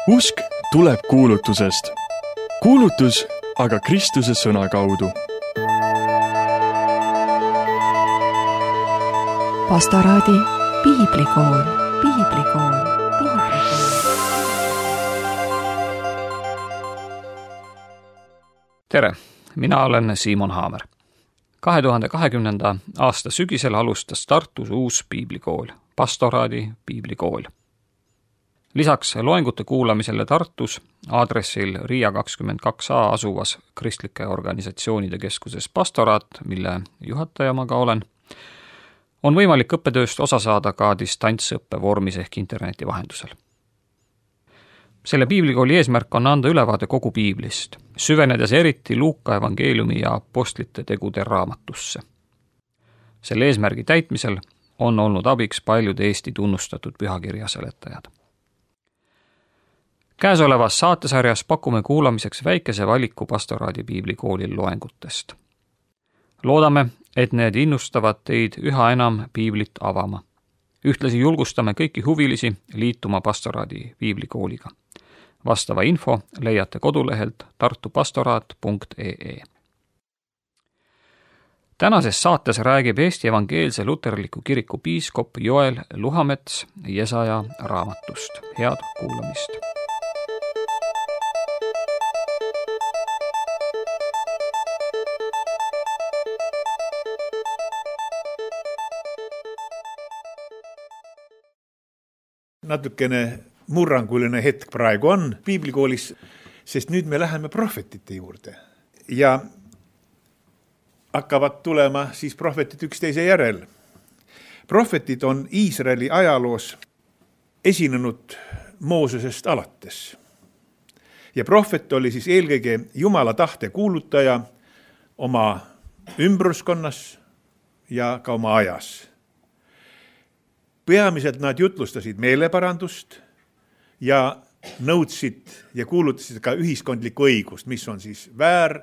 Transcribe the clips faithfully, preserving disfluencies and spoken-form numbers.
Usk tuleb kuulutusest. Kuulutus aga Kristuse sõna kaudu. Pastoraadi piiblikool, piiblikool, piiblikool. Tere, mina olen Simon Haamer. kahe tuhande kahekümnenda aasta sügisel alustas Tartus uus piiblikool, Pastoraadi piiblikool. Lisaks loengute kuulamisele Tartus aadressil Riia kakskümmend kaks A asuvas kristlike organisatsioonide keskuses Pastoraat, mille juhataja ma ka olen, on võimalik õppetööst osa saada ka distantsõppe vormis ehk interneti vahendusel. Selle piiblikooli eesmärk on anda ülevaade kogu piiblist, süvenedes eriti Luuka evangeeliumi ja apostlite tegude raamatusse. Selle eesmärgi täitmisel on olnud abiks paljud Eesti tunnustatud pühakirja seletajad. Käesolevas saatesarjas pakume kuulamiseks väikese valiku Pastoraadi piiblikoolil loengutest. Loodame, et need innustavad teid üha enam piiblit avama. Ühtlasi julgustame kõiki huvilisi liituma Pastoraadi piiblikooliga. Vastava info leiate kodulehelt tartupastoraat punkt ee ee. Tänases saates räägib Eesti Evangeelse Luterliku Kiriku piiskop Joel Luhamets Jesaja raamatust. Head kuulamist! Natukene murranguline hetk praegu on piiblikoolis, sest nüüd me läheme prohvetite juurde ja hakkavad tulema siis prohvetid üksteise järel. Prohvetid on Iisraeli ajaloos esinenud Moosesest alates. Ja prohvet oli siis eelkõige Jumala tahte kuulutaja oma ümbruskonnas ja ka oma ajas. Peamiselt nad jutlustasid meeleparandust ja nõudsid ja kuulutasid ka ühiskondlikku õigust, mis on siis väär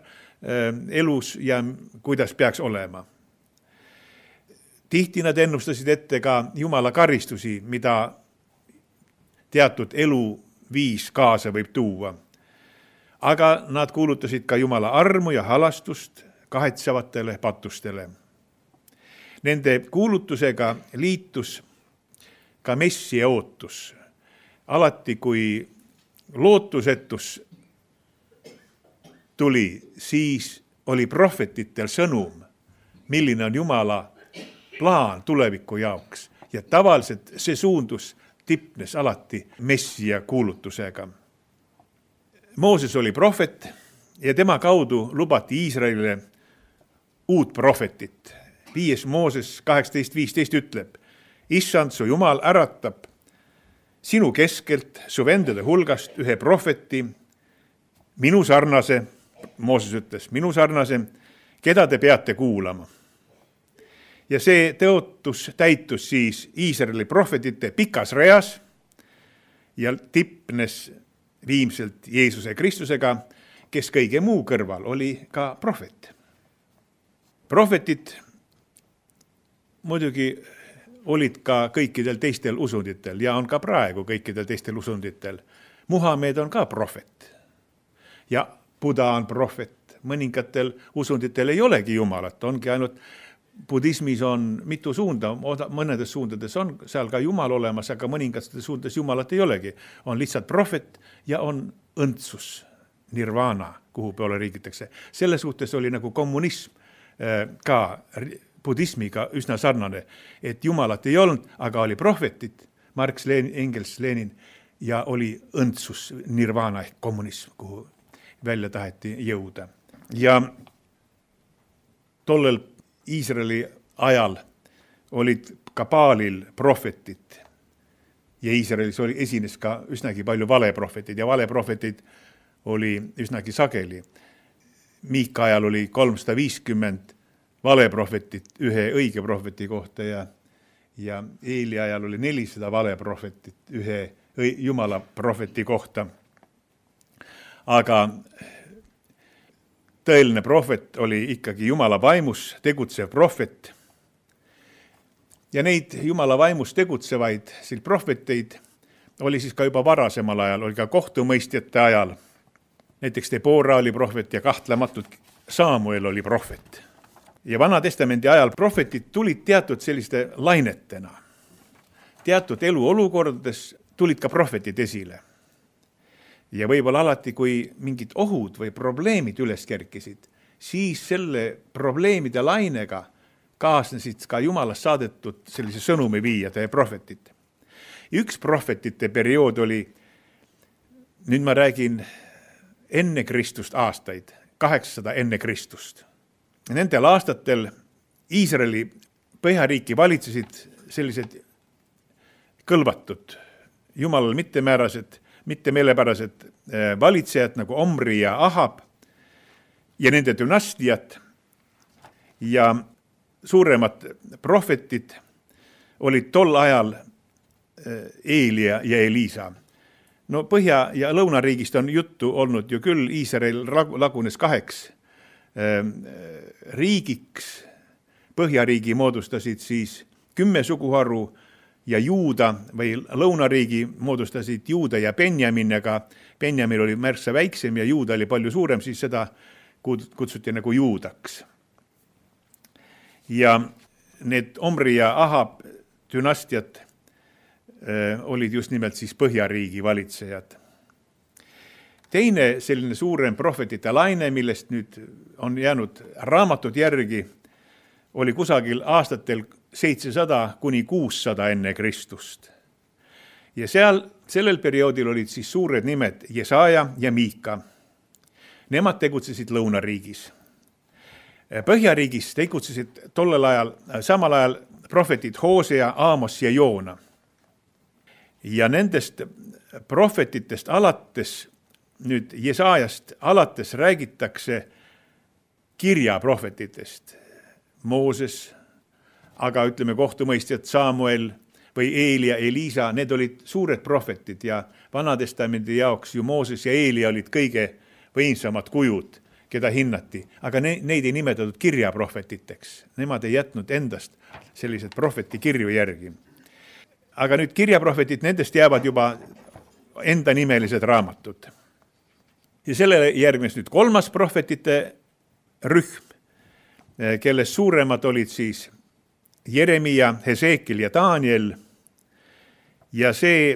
elus ja kuidas peaks olema. Tihti nad ennustasid ette ka Jumala karistusi, mida teatud eluviis kaasa võib tuua. Aga nad kuulutasid ka Jumala armu ja halastust kahetsevatele patustele. Nende kuulutusega liitus ka messia ootus. Alati, kui lootusetus tuli, siis oli prohvetitel sõnum, milline on Jumala plaan tuleviku jaoks. Ja tavaliselt see suundus tipnes alati messia kuulutusega. Mooses oli prohvet ja tema kaudu lubati Iisraelile uut prohvetit. Viies Mooses kaheksateist viisteist ütleb: Issand, su Jumal äratab sinu keskelt, su vendade hulgast ühe prohveti, minu sarnase, Mooses ütles, minu sarnase, keda te peate kuulama. Ja see tõotus täitus siis Iisraeli prohvetite pikas reas ja tipnes viimselt Jeesuse Kristusega, kes kõige muu kõrval oli ka prohvet. Prohvetid muidugi olid ka kõikidel teistel usunditel ja on ka praegu kõikidel teistel usunditel. Muhamed on ka prohvet ja Buda on prohvet. Mõningatel usunditel ei olegi Jumalat, ongi ainult budismis on mitu suunda, mõnedes suundades on seal ka Jumal olemas, aga mõningates suundades Jumalat ei olegi. On lihtsalt prohvet ja on õndsus, nirvana, kuhu peale riigitakse. Selle suhtes oli nagu kommunism ka budismiga üsna sarnane, et Jumalat ei olnud, aga oli prohvetid, Marx, Lenin, Engels, Lenin, ja oli õndsus, nirvana ehk kommunism, kuhu välja taheti jõuda. Ja tollel Iisraeli ajal olid ka Baalil prohvetid ja Iisraelis oli esines ka üsnagi palju valeprohvetid ja valeprohvetid oli üsnagi sageli. Miika ajal oli kolmsada viiskümmend valeprohvetit ühe õige prohveti kohta ja, ja Eeli ajal oli nelisada valeprohvetit ühe Jumala prohveti kohta. Aga tõeline prohvet oli ikkagi Jumala vaimus tegutsev prohvet. Ja neid Jumala vaimus tegutsevaid prohveteid oli siis ka juba varasemal ajal, oli ka kohtumõistjate ajal. Näiteks Debora oli prohvet ja kahtlematult Samuel oli prohvet. Ja Vana Testamendi ajal prohvetid tulid teatud selliste lainetena. Teatud eluolukordades tulid ka prohvetid esile. Ja võib-olla alati, kui mingid ohud või probleemid üles kerkisid, siis selle probleemide lainega kaasnesid ka Jumalast saadetud sellise sõnumi viijad ja prohvetid. Üks prohvetite periood oli, nüüd ma räägin enne Kristust aastaid, kaheksasada enne Kristust. Nendel aastatel Iisraeli põhjariiki valitsesid sellised kõlvatud, Jumalal mittemäärased, mittemeelepärased valitsejad nagu Omri ja Ahab ja nende dünastiat ja suuremad prohvetid olid tol ajal Eelia ja Eliisa. No Põhja- ja Lõunariigist on juttu olnud ju küll, Iisrael lagunes kaheks riigiks, Põhjariigi moodustasid siis kümme suguharu ja Juuda või Lõunariigi moodustasid Juuda ja Benjamin, aga Benjamin oli märksa väiksem ja Juuda oli palju suurem, siis seda kutsuti nagu Juudaks. Ja need Omri ja Ahab dünastiad olid just nimelt siis Põhjariigi valitsejad. Teine selline suurem prohvetite laine, millest nüüd on jäänud raamatud järgi, oli kusagil aastatel seitsesada kuni kuussada enne Kristust. Ja seal, sellel perioodil olid siis suured nimed Jesaja ja Miika. Nemad tegutsesid Lõunariigis. Põhjariigis tegutsesid tollel ajal, samal ajal prohvetid Hoosea, Aamos ja Joona. Ja nendest prohvetitest alates, nüüd Jesajast alates räägitakse kirjaprohvetitest. Mooses, aga ütleme kohtumõistjad Samuel või Eelia, Eliisa, need olid suured prohvetid ja Vanatestamendi jaoks ju Mooses ja Eelia olid kõige võimsamad kujud, keda hinnati, aga ne, neid ei nimetatud kirjaprohvetiteks. Nemad ei jätnud endast sellised prohveti kirju järgi. Aga nüüd kirjaprohvetid, nendest jäävad juba enda nimelised raamatud. Ja sellele järgnes nüüd kolmas prohvetite rühm, kelles suuremad olid siis Jeremia, Heseekil ja Daniel. Ja see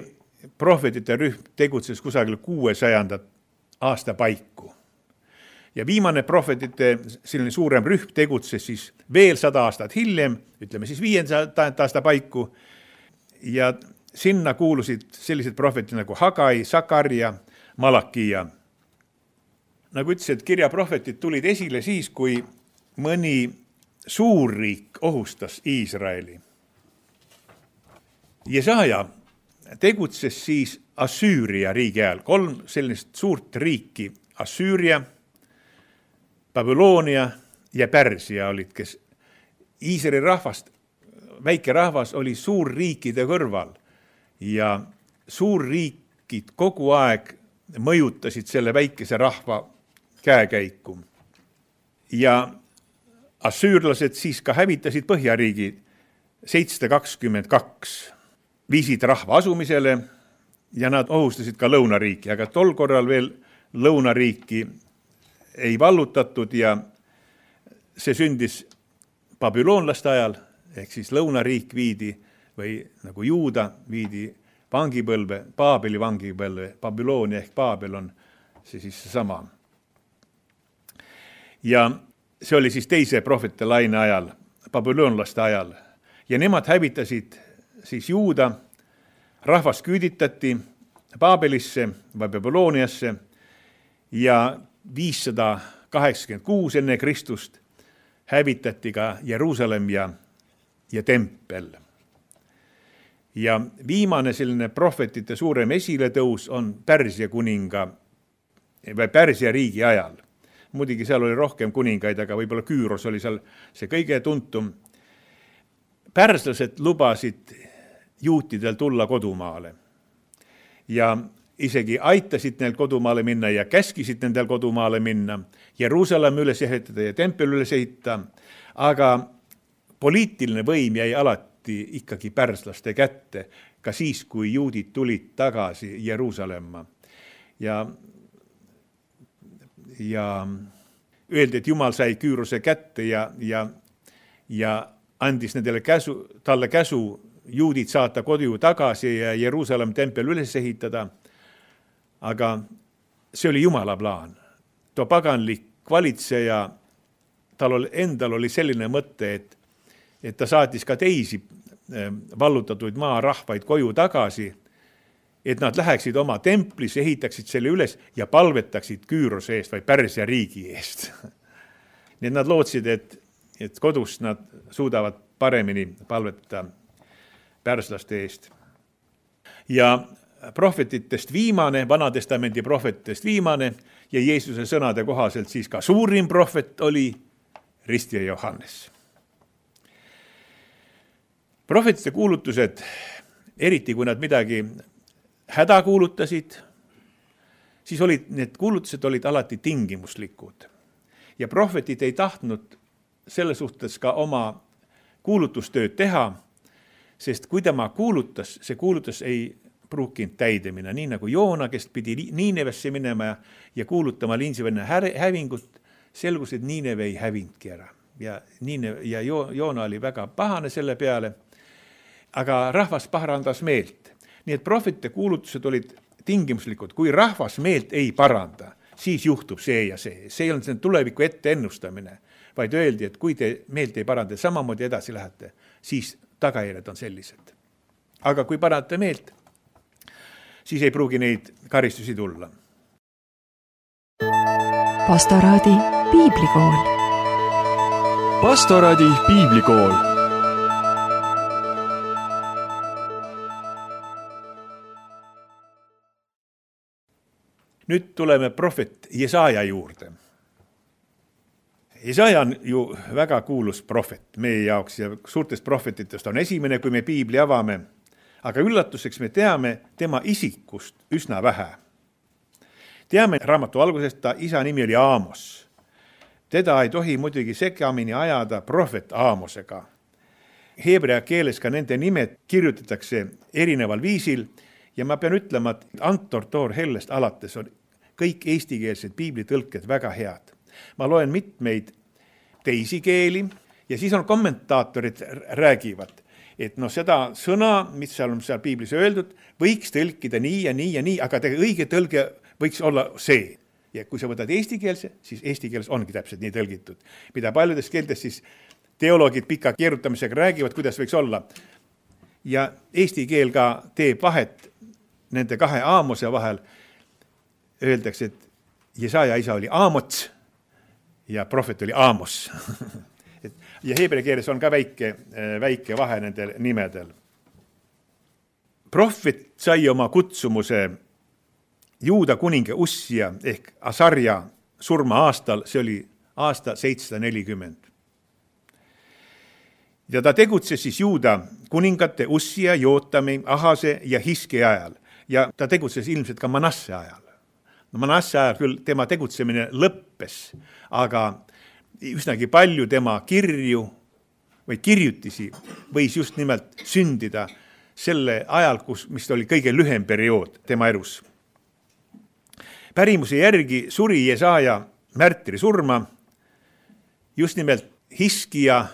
prohvetite rühm tegutses kusagil kuuesajandat aasta paiku. Ja viimane prohvetite selline suurem rühm tegutses siis veel sada aastat hiljem, ütleme siis viienda aasta paiku. Ja sinna kuulusid sellised prohvetid nagu Hagai, Sakarja, Malakia. Nagu ütles, et kirjaprohvetid tulid esile siis, kui mõni suurriik ohustas Iisraeli. Jesaja tegutses siis Assüüria riigi ajal. Kolm sellist suurt riiki, Assüüria, Babyloonia ja Pärsia olid, kes Iisraeli rahvast, väike rahvas oli suurriikide kõrval ja suurriikid kogu aeg mõjutasid selle väikese rahva käekäiku. Ja assüürlased siis ka hävitasid Põhjariigi seitsesada kakskümmend kaks, viisid rahva asumisele ja nad ohustasid ka Lõunariiki, aga tol korral veel Lõunariiki ei vallutatud ja see sündis babüloonlaste ajal, ehk siis Lõunariik viidi või nagu Juuda viidi vangipõlve, Paabeli vangipõlve, Babyloonia ehk Paabel on see siis sama. Ja see oli siis teise prohvetite laine ajal, babüloonlaste ajal. Ja nemad hävitasid siis Juuda, rahvas küüditati Paabelisse või Babyloniasse ja viissada kaheksakümmend kuus enne Kristust hävitati ka Jeruusalemm ja, ja tempel. Ja viimane selline prohvetite suurem esiletõus on Pärsia kuninga või Pärsia riigi ajal. Muidugi seal oli rohkem kuningaid, aga võib-olla Küüros oli seal see kõige tuntum. Pärslased lubasid juutidel tulla kodumaale ja isegi aitasid neil kodumaale minna ja käskisid nendel kodumaale minna, Jeruusalemm üles ehitada ja tempel üles ehitada, aga poliitiline võim jäi alati ikkagi pärslaste kätte, ka siis, kui juudid tulid tagasi Jeruusalemma. Ja, ja öeldi, et Jumal sai Küürose kätte ja, ja, ja andis nendele käsu, talle käsu juudid saata kodu tagasi ja Jeruusalemm tempel üles ehitada. Aga see oli Jumala plaan. Tuo paganlik valitseja, tal oli, endal oli selline mõte, et, et ta saatis ka teisi vallutatuid maarahvaid koju tagasi, et nad läheksid oma templis, ehitaksid selle üles ja palvetaksid Küürose eest või Pärsia riigi eest. Nii et nad lootsid, et, et kodus nad suudavad paremini palvetada pärslaste eest. Ja prohvetitest viimane, Vanatestamendi prohvetitest viimane ja Jeesuse sõnade kohaselt siis ka suurim prohvet oli ristija Johannes. Prohvetite kuulutused, eriti kui nad midagi häda kuulutasid, siis olid, need kuulutused olid alati tingimuslikud. Ja prohvetid ei tahtnud selle suhtes ka oma kuulutustööd teha, sest kui tema kuulutas, see kuulutus ei pruukinud täidemine, nii nagu Joona, kes pidi Niinevesse minema ja, ja kuulutama Niinevenne hävingut, selgus, et Niineve ei hävinudki ära. Ja, Niineve, ja jo, Joona oli väga pahane selle peale, aga rahvas parandas meelt. Nii et prohvetite kuulutused olid tingimuslikud. Kui rahvas meelt ei paranda, siis juhtub see ja see. See ei olnud see tuleviku ette ennustamine, vaid öeldi, et kui te meelt ei paranda, samamoodi edasi lähete, siis tagajärjed on sellised. Aga kui parandate meelt, siis ei pruugi neid karistusi tulla. Pastoraadi piiblikool. Pastoraadi piiblikool. Nüüd tuleme prohvet Jesaja juurde. Jesaja on ju väga kuulus prohvet meie jaoks ja suurtest prohvetitest on esimene, kui me piibli avame. Aga üllatuseks me teame tema isikust üsna vähe. Teame raamatu algusest, ta isa nimi oli Aamos. Teda ei tohi muidugi segamini ajada prohvet Aamosega. Heebrea keeles ka nende nimed kirjutatakse erineval viisil ja ma pean ütlema, et Antor Toor Hellest alates on kõik eestikeelsed piiblitõlked väga head. Ma loen mitmeid teisi keeli ja siis on kommentaatorid räägivad, et no seda sõna, mis seal on seal piiblis öeldud, võiks tõlkida nii ja nii ja nii, aga õige tõlge võiks olla see. Ja kui sa võtad eestikeelse, siis eesti keeles ongi täpselt nii tõlgitud. Mida paljudes keeltes siis teoloogid pika keerutamisega räägivad, kuidas võiks olla. Ja eesti keel ka teeb vahet nende kahe Aamose vahel. Öeldakse, et Jesaja isa oli Aamots ja prohvet oli Aamos. Ja heebrea keeles on ka väike, väike vahe nendel nimedel. Prohvet sai oma kutsumuse Juuda kuninga Ussia ehk Asarja surma aastal, see oli aasta seitsesada nelikümmend. Ja ta tegutses siis Juuda kuningate Ussia, Jootami, Ahase ja Hiske ajal ja ta tegutses ilmselt ka Manasse ajal. No Manasse ajal küll tema tegutsemine lõppes, aga üsnagi palju tema kirju või kirjutisi võis just nimelt sündida selle ajal, kus, mis oli kõige lühem periood tema elus. Pärimuse järgi suri Jesaja märtri surma just nimelt Hiskia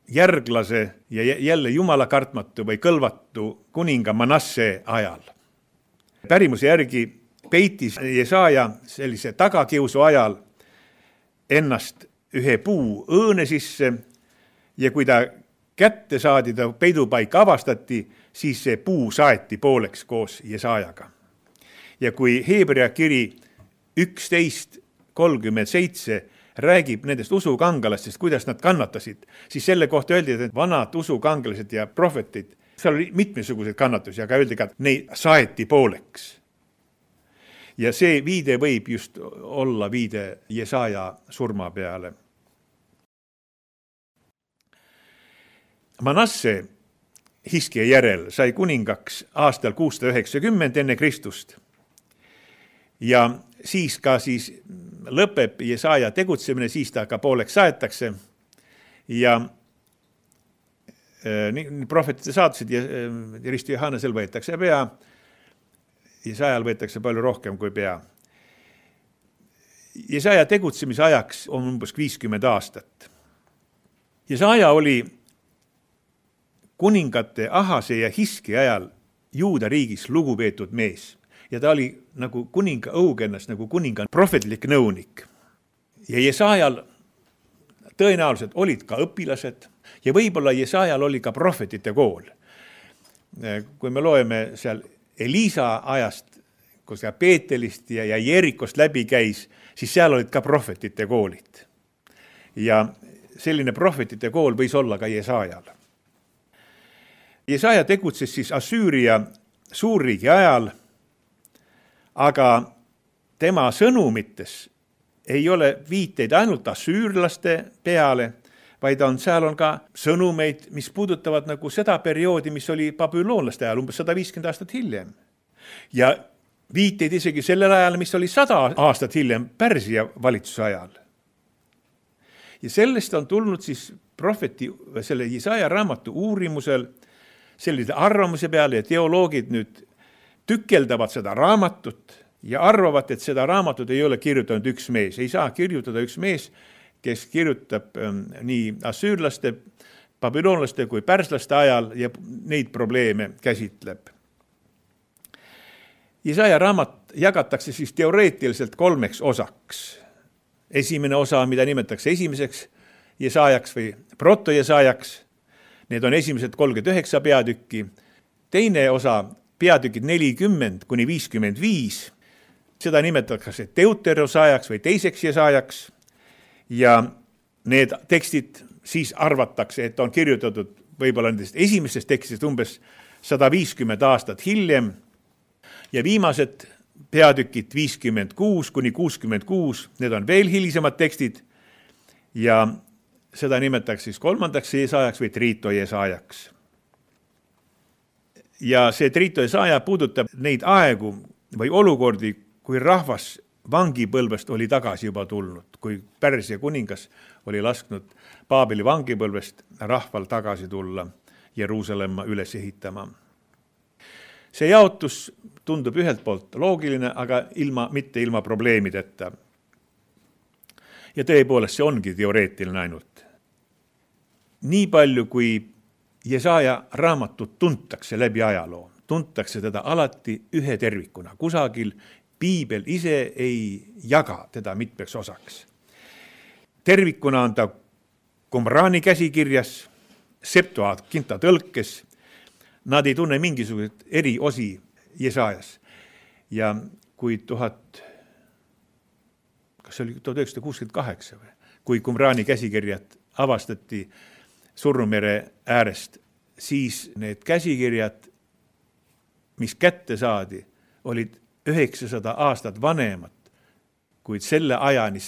järglase ja jälle jumala kartmatu või kõlvatu kuninga Manasse ajal. Pärimuse järgi peitis Jesaja sellise tagakiusu ajal ennast ühe puu õõne sisse ja kui ta kätte saadi, ta peidupaika avastati, siis see puu saeti pooleks koos Jesajaga. Ja kui Heebrea kiri üksteist kolmkümmend seitse räägib nendest usukangalastest, kuidas nad kannatasid, siis selle kohta öeldi, et vanad usukangalased ja prohvetid, seal oli mitmesuguseid kannatusi, aga öeldi ka, et neid saeti pooleks. Ja see viide võib just olla viide Jesaja surma peale. Manasse Hiskia järel sai kuningaks aastal kuussada üheksakümmend enne Kristust. Ja siis ka siis lõpeb Jesaja tegutsemine, siis ta ka pooleks saetakse. Ja prohvetite saatusid ja Risti Johannesel võetakse pea, Jesaajal võetakse palju rohkem kui pea. Jesaja tegutsemise ajaks on umbes viiskümmend aastat. Jesaja oli kuningate Ahase ja Hiski ajal Juuda riigis lugupeetud mees ja ta oli nagu kuninga õugennas, nagu kuninga prohvetlik nõunik. Ja Jesaajal tõenäoliselt olid ka õpilased ja võib-olla Jesaajal oli ka prohvetite kool. Kui me loeme seal Elisa ajast, kus ka Peetelist ja, ja Jerikost läbi käis, siis seal olid ka prohvetite koolid. Ja selline prohvetite kool võis olla ka Jesaajal. Jesaja tegutses siis Assüüria suurriigi ajal, aga tema sõnumites ei ole viiteid ainult assüürlaste peale, vaid on, seal on ka sõnumeid, mis puudutavad nagu seda perioodi, mis oli babüloonlaste ajal, umbes sada viiskümmend aastat hiljem. Ja viiteid isegi sellel ajal, mis oli sada aastat hiljem Pärsia valitsuse ajal. Ja sellest on tulnud siis prohveti, selle Jesaja raamatu uurimusel sellise arvamuse peale ja teoloogid nüüd tükeldavad seda raamatut ja arvavad, et seda raamatut ei ole kirjutanud üks mees. Ei saa kirjutada üks mees, kes kirjutab ähm, nii assüürlaste, babüloonlaste kui pärslaste ajal ja neid probleeme käsitleb. Jesaja raamat jagatakse siis teoreetiliselt kolmeks osaks. Esimene osa, mida nimetatakse esimeseks Jesajaks või proto-Jesajaks, need on esimesed kolmkümmend üheksa peatükki. Teine osa, peatükid nelikümmend kuni viiskümmend viis, seda nimetatakse deuterosajaks või teiseks Jesajaks ja need tekstid siis arvatakse, et on kirjutatud võib-olla nendest esimestest tekstist umbes sada viiskümmend aastat hiljem ja viimased peatükid viiskümmend kuus kuni kuuskümmend kuus, need on veel hilisemad tekstid ja seda nimetatakse siis kolmandaks Jesajaks või Triito Jesajaks. Ja see Triito Jesaja puudutab neid aegu või olukordi, kui rahvas vangipõlvest oli tagasi juba tulnud, kui Pärsia kuningas oli lasknud Paabeli vangipõlvest rahval tagasi tulla Jeruusalemma üles ehitama. See jaotus tundub ühelt poolt loogiline, aga ilma, mitte ilma probleemideta. Ja tõepoolest see ongi teoreetiline ainult. Nii palju, kui Jesaja raamatut tuntakse läbi ajaloo, tuntakse teda alati ühe tervikuna. Kusagil Piibel ise ei jaga teda mitmeks osaks. Tervikuna on ta Qumrani käsikirjas, Septuaginta tõlkes. Nad ei tunne mingisugused eri osi Jesajas. Ja kui tuhat, kas oli tuhat üheksasada kuuskümmend kaheksa või? Kui Qumrani käsikirjad avastati Surnumere äärest, siis need käsikirjad, mis kätte saadi, olid üheksasada aastat vanemad, kuid selle ajani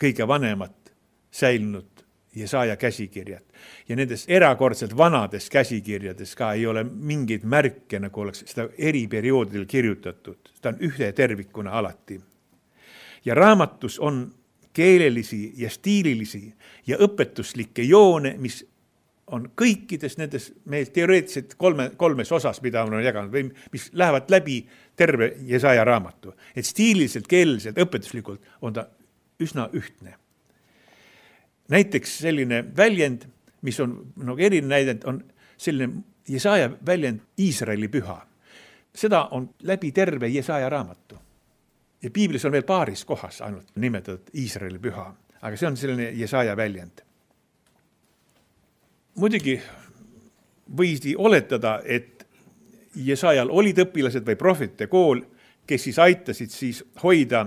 kõige vanemad säilinud Jesaja käsikirjad. Ja nendes erakordselt vanades käsikirjades ka ei ole mingeid märke, nagu oleks seda eri perioodil kirjutatud. Ta on ühe tervikuna alati. Ja raamatus on keelelisi ja stiililisi ja õpetuslikke joone, mis on kõikides nendes meil teoreetiliselt kolme, kolmes osas, mida on jaganud, või mis lähevad läbi terve Jesaja raamatu. Et stiililiselt, keeleliselt, õpetuslikult on ta üsna ühtne. Näiteks selline väljend, mis on no, eriline näidend, on selline Jesaja väljend Iisraeli püha. Seda on läbi terve Jesaja raamatu. Ja Piiblis on veel paaris kohas ainult nimetatud Iisraeli püha, aga see on selline Jesaja väljend. Muidugi võisi oletada, et Jesajal olid õpilased või prohvetite kool, kes siis aitasid siis hoida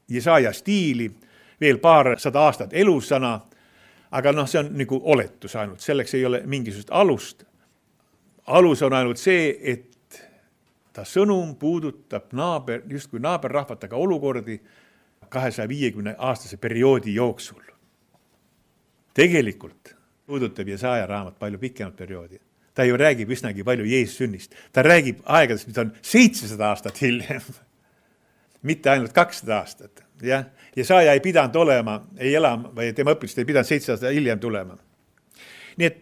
Jesaja stiili veel paar sada aastat elusana, aga noh, see on nagu oletus ainult, selleks ei ole mingisugust alust. Alus on ainult see, et ta sõnum puudutab naaber, just kui naaberrahvataga olukordi kahesaja viiekümne aastase perioodi jooksul. Tegelikult puudutab Jesaja raamat palju pikemat perioodi. Ta ju räägib üsnagi palju Jeesus sünnist. Ta räägib aegadest, mis on seitsesada aastat hiljem. Mitte ainult kakssada aastat. Ja? Jesaja ei pidanud olema, ei elama, või tema õpilased ei pidanud seitsesada aastat hiljem tulema. Nii et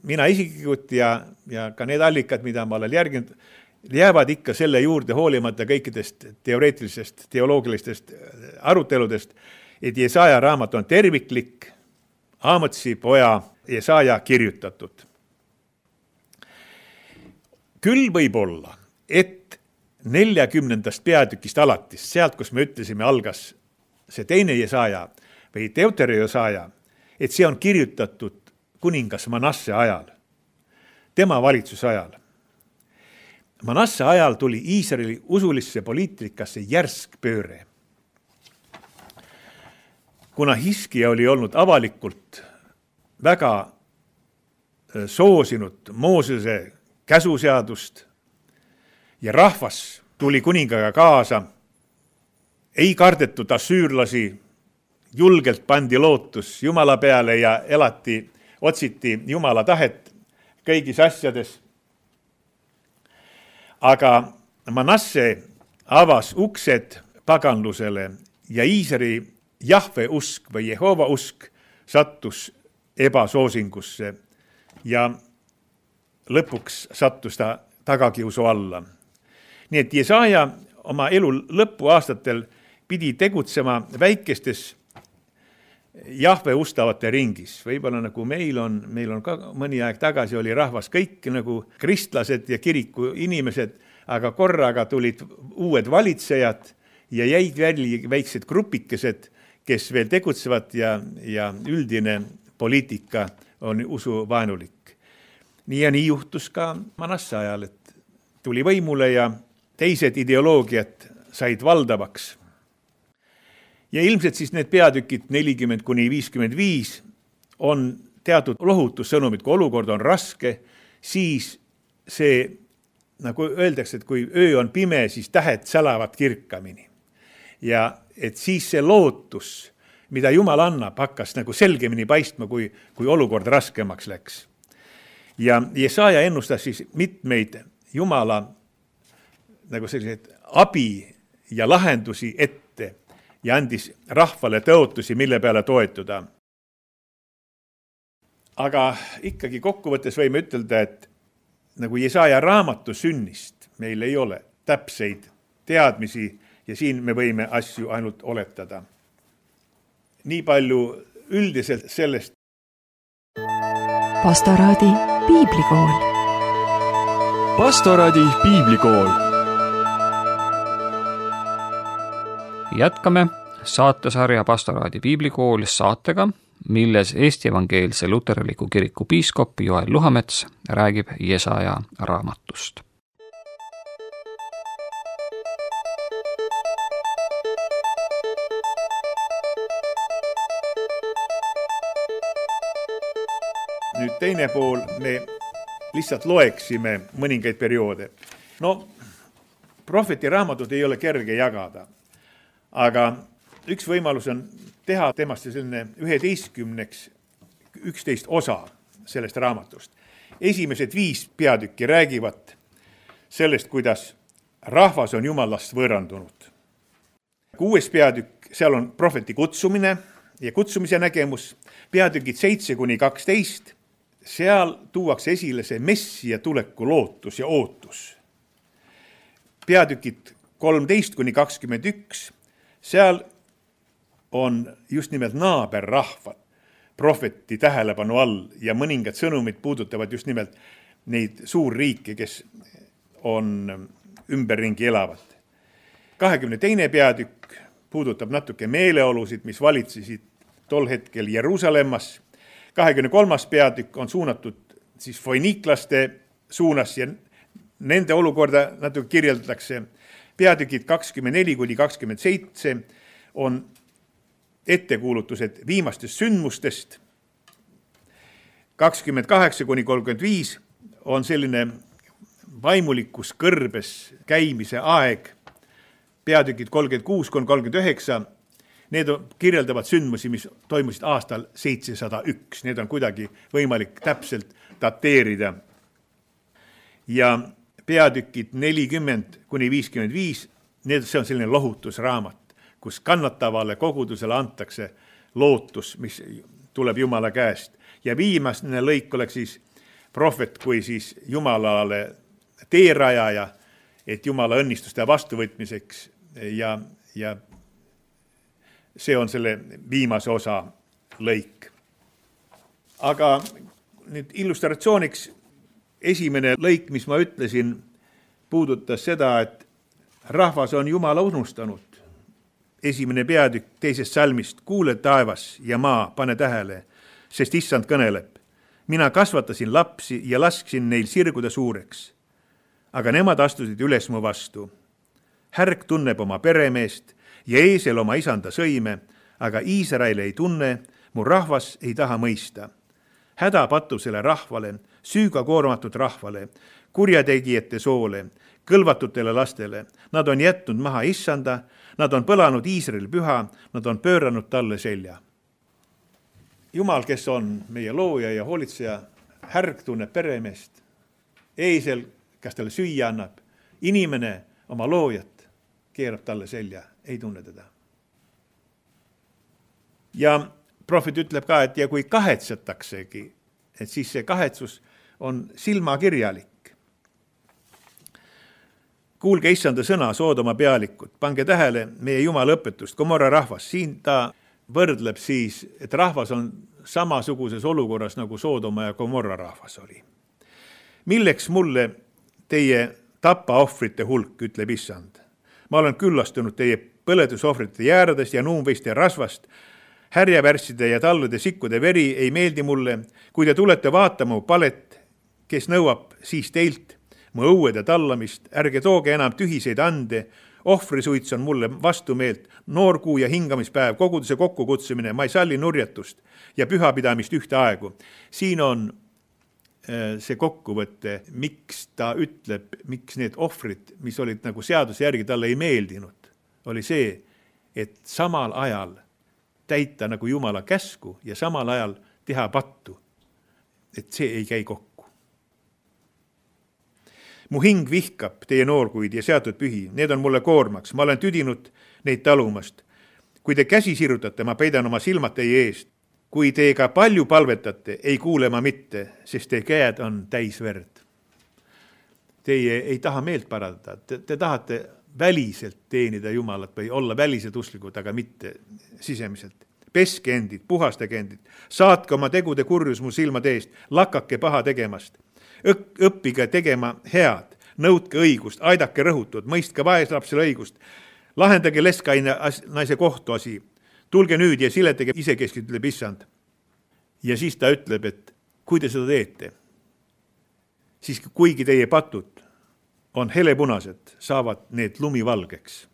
mina isiklikult ja, ja ka need allikad, mida ma olen järginud, jäävad ikka selle juurde hoolimata kõikidest teoreetilisest, teoloogilistest aruteludest, et Jesaja raamat on terviklik, Aamotsi poja Jesaja kirjutatud. Küll võib olla, et neljakümnendast peatükist alatis, sealt, kus me ütlesime, algas see teine Jesaja või Deuteronomi Jesaja, et see on kirjutatud kuningas Manasse ajal, tema valitsuse ajal. Manasse ajal tuli Iisraeli usulisse poliitikasse järsk pööre. Kuna Hiskia oli olnud avalikult väga soosinud Moosese käsuseadust ja rahvas tuli kuningaga kaasa, ei kardetud assüürlasi, julgelt pandi lootus Jumala peale ja elati, otsiti Jumala tahet kõigis asjades. Aga Manasse avas uksed paganlusele ja Iisraeli Jahve usk või Jehova usk sattus ebasoosingusse ja lõpuks sattus ta tagakiusu alla. Nii et Jesaja oma elu lõpuaastatel pidi tegutsema väikestes Jahve ustavate ringis. Võib-olla nagu meil on, meil on ka mõni aeg tagasi oli rahvas kõik nagu kristlased ja kiriku inimesed, aga korraga tulid uued valitsejad ja jäid välja väiksed grupikesed, kes veel tegutsevad ja, ja üldine poliitika on usuvaenulik. Nii ja nii juhtus ka Manasse ajal, et tuli võimule ja teised ideoloogiad said valdavaks. Ja ilmselt siis need peatükid nelikümmend kuni viiskümmend viis on teatud lohutussõnumid, kui olukord on raske, siis see, nagu öeldakse, et kui öö on pime, siis tähed sälavad kirkamini. Ja et siis see lootus, mida Jumal annab, hakkas nagu selgemini paistma, kui, kui olukord raskemaks läks. Ja Jesaja ennustas siis mitmeid Jumala nagu selliseid abi ja lahendusi ette ja andis rahvale tõotusi, mille peale toetuda. Aga ikkagi kokkuvõttes võime ütelda, et nagu Jesaja raamatu sünnist meil ei ole täpseid teadmisi ja siin me võime asju ainult oletada. Nii palju üldiselt sellest. Pastoraadi piiblikool. Pastoraadi piiblikool. Jätkame saatesarja Pastoraadi piiblikool saatega, milles Eesti Evangeelse Luterliku Kiriku piiskop Joel Luhamets räägib Jesaja raamatust. Nüüd teine pool, me lihtsalt loeksime mõningaid perioode. No, prohveti raamatut ei ole kerge jagada, aga üks võimalus on teha temast selline üheteistkümneks, üksteist osa sellest raamatust. Esimesed viis peatükki räägivad sellest, kuidas rahvas on Jumalast võõrandunud. Kuues peatükk, seal on prohveti kutsumine ja kutsumise nägemus. Peatükid seitse kuni kaksteist, seal tuuakse esile see Messia tuleku lootus ja ootus. Peatükid kolmteist kuni kakskümmend üks, seal on just nimelt naaberrahvad prohveti tähelepanu all ja mõningad sõnumid puudutavad just nimelt neid suurriike, kes on ümberringi elavad. kahekümne teine peatükk puudutab natuke meeleolusid, mis valitsesid tol hetkel Jeruusalemmas. kahekümne kolmas peatükk on suunatud siis foiniiklaste suunas ja nende olukorda natuke kirjeldatakse. Peatükid kakskümmend neli kuni kakskümmend seitse on ettekuulutused viimastest sündmustest. kakskümmend kaheksa kuni kolmkümmend viis on selline vaimulikus kõrbes käimise aeg. Peatükid kolmkümmend kuus kuni kolmkümmend üheksa, need kirjeldavad sündmusi, mis toimusid aastal seitsesada üks. Need on kuidagi võimalik täpselt dateerida. Ja peatükid nelikümmend kuni viiskümmend viis, need, see on selline lohutusraamat, kus kannatavale kogudusele antakse lootus, mis tuleb Jumala käest. Ja viimane lõik oleks siis prohvet kui siis Jumalale teerajaja, et Jumala õnnistuste vastuvõtmiseks ja, ja see on selle viimase osa lõik. Aga nüüd illustratsiooniks esimene lõik, mis ma ütlesin, puudutas seda, et rahvas on Jumala unustanud. Esimene peatükk teisest salmist, kuule taevas ja maa, pane tähele, sest issand kõneleb. Mina kasvatasin lapsi ja lasksin neil sirguda suureks, aga nemad astusid üles mu vastu. Härg tunneb oma peremeest ja eesel oma isanda sõime, aga Iisrael ei tunne, mu rahvas ei taha mõista. Häda patusele rahvale, süüga koormatud rahvale, kurjategijate soole, kõlvatutele lastele. Nad on jätnud maha issanda, nad on põlanud Iisrael püha, nad on pööranud talle selja. Jumal, kes on meie looja ja hoolitseja, härg tunneb peremeest. Eesel, kas talle süüa annab, inimene oma loojat keerab talle selja, ei tunne teda. Ja prohvet ütleb ka, et ja kui kahetsetaksegi, et siis see kahetsus on silmakirjalik. Kuulge issanda sõna, Soodoma pealikud, pange tähele meie Jumala õpetust, Gomorra rahvas. Siin ta võrdleb siis, et rahvas on samasuguses olukorras nagu Soodoma ja Gomorra rahvas oli. Milleks mulle teie tapaohvrite hulk, ütleb issand. Ma olen küllastunud teie põledusohvrite jääradest ja nuumveiste rasvast, härjavärsside ja tallude sikkude veri ei meeldi mulle, kui te tulete vaatama mu palet, kes nõuab siis teilt mu õuede tallamist, ärge tooge enam tühiseid ande, ohvrisuits on mulle vastumeelt, noorkuu ja hingamispäev, koguduse kokkukutsumine, ma ei salli nurjatust ja pühapidamist ühte aegu. Siin on see kokkuvõte, miks ta ütleb, miks need ohvrid, mis olid nagu seaduse järgi talle ei meeldinud, oli see, et samal ajal täita nagu Jumala käsku ja samal ajal teha pattu, et see ei käi kokku. Mu hing vihkab teie noorkuid ja seatud pühi, need on mulle koormaks, ma olen tüdinud neid talumast. Kui te käsi sirutate, ma peidan oma silmad teie eest. Kui te ka palju palvetate, ei kuule ma mitte, sest teie käed on täis verd. Teie ei taha meelt parandada, te, te tahate väliselt teenida Jumalat või olla väliselt usklikud, aga mitte sisemiselt. Peske endid, puhastage endid, saatke oma tegude kurjus mu silmade eest, lakake paha tegemast. Õppige tegema head, nõudke õigust, aidake rõhutud, mõistke vaeslapsele õigust, lahendage leskaine naise kohtuasi, tulge nüüd ja siletage isekeskid, ütleb issand. Ja siis ta ütleb, et kui te seda teete, siis kuigi teie patud on helepunased, saavad need lumivalgeks.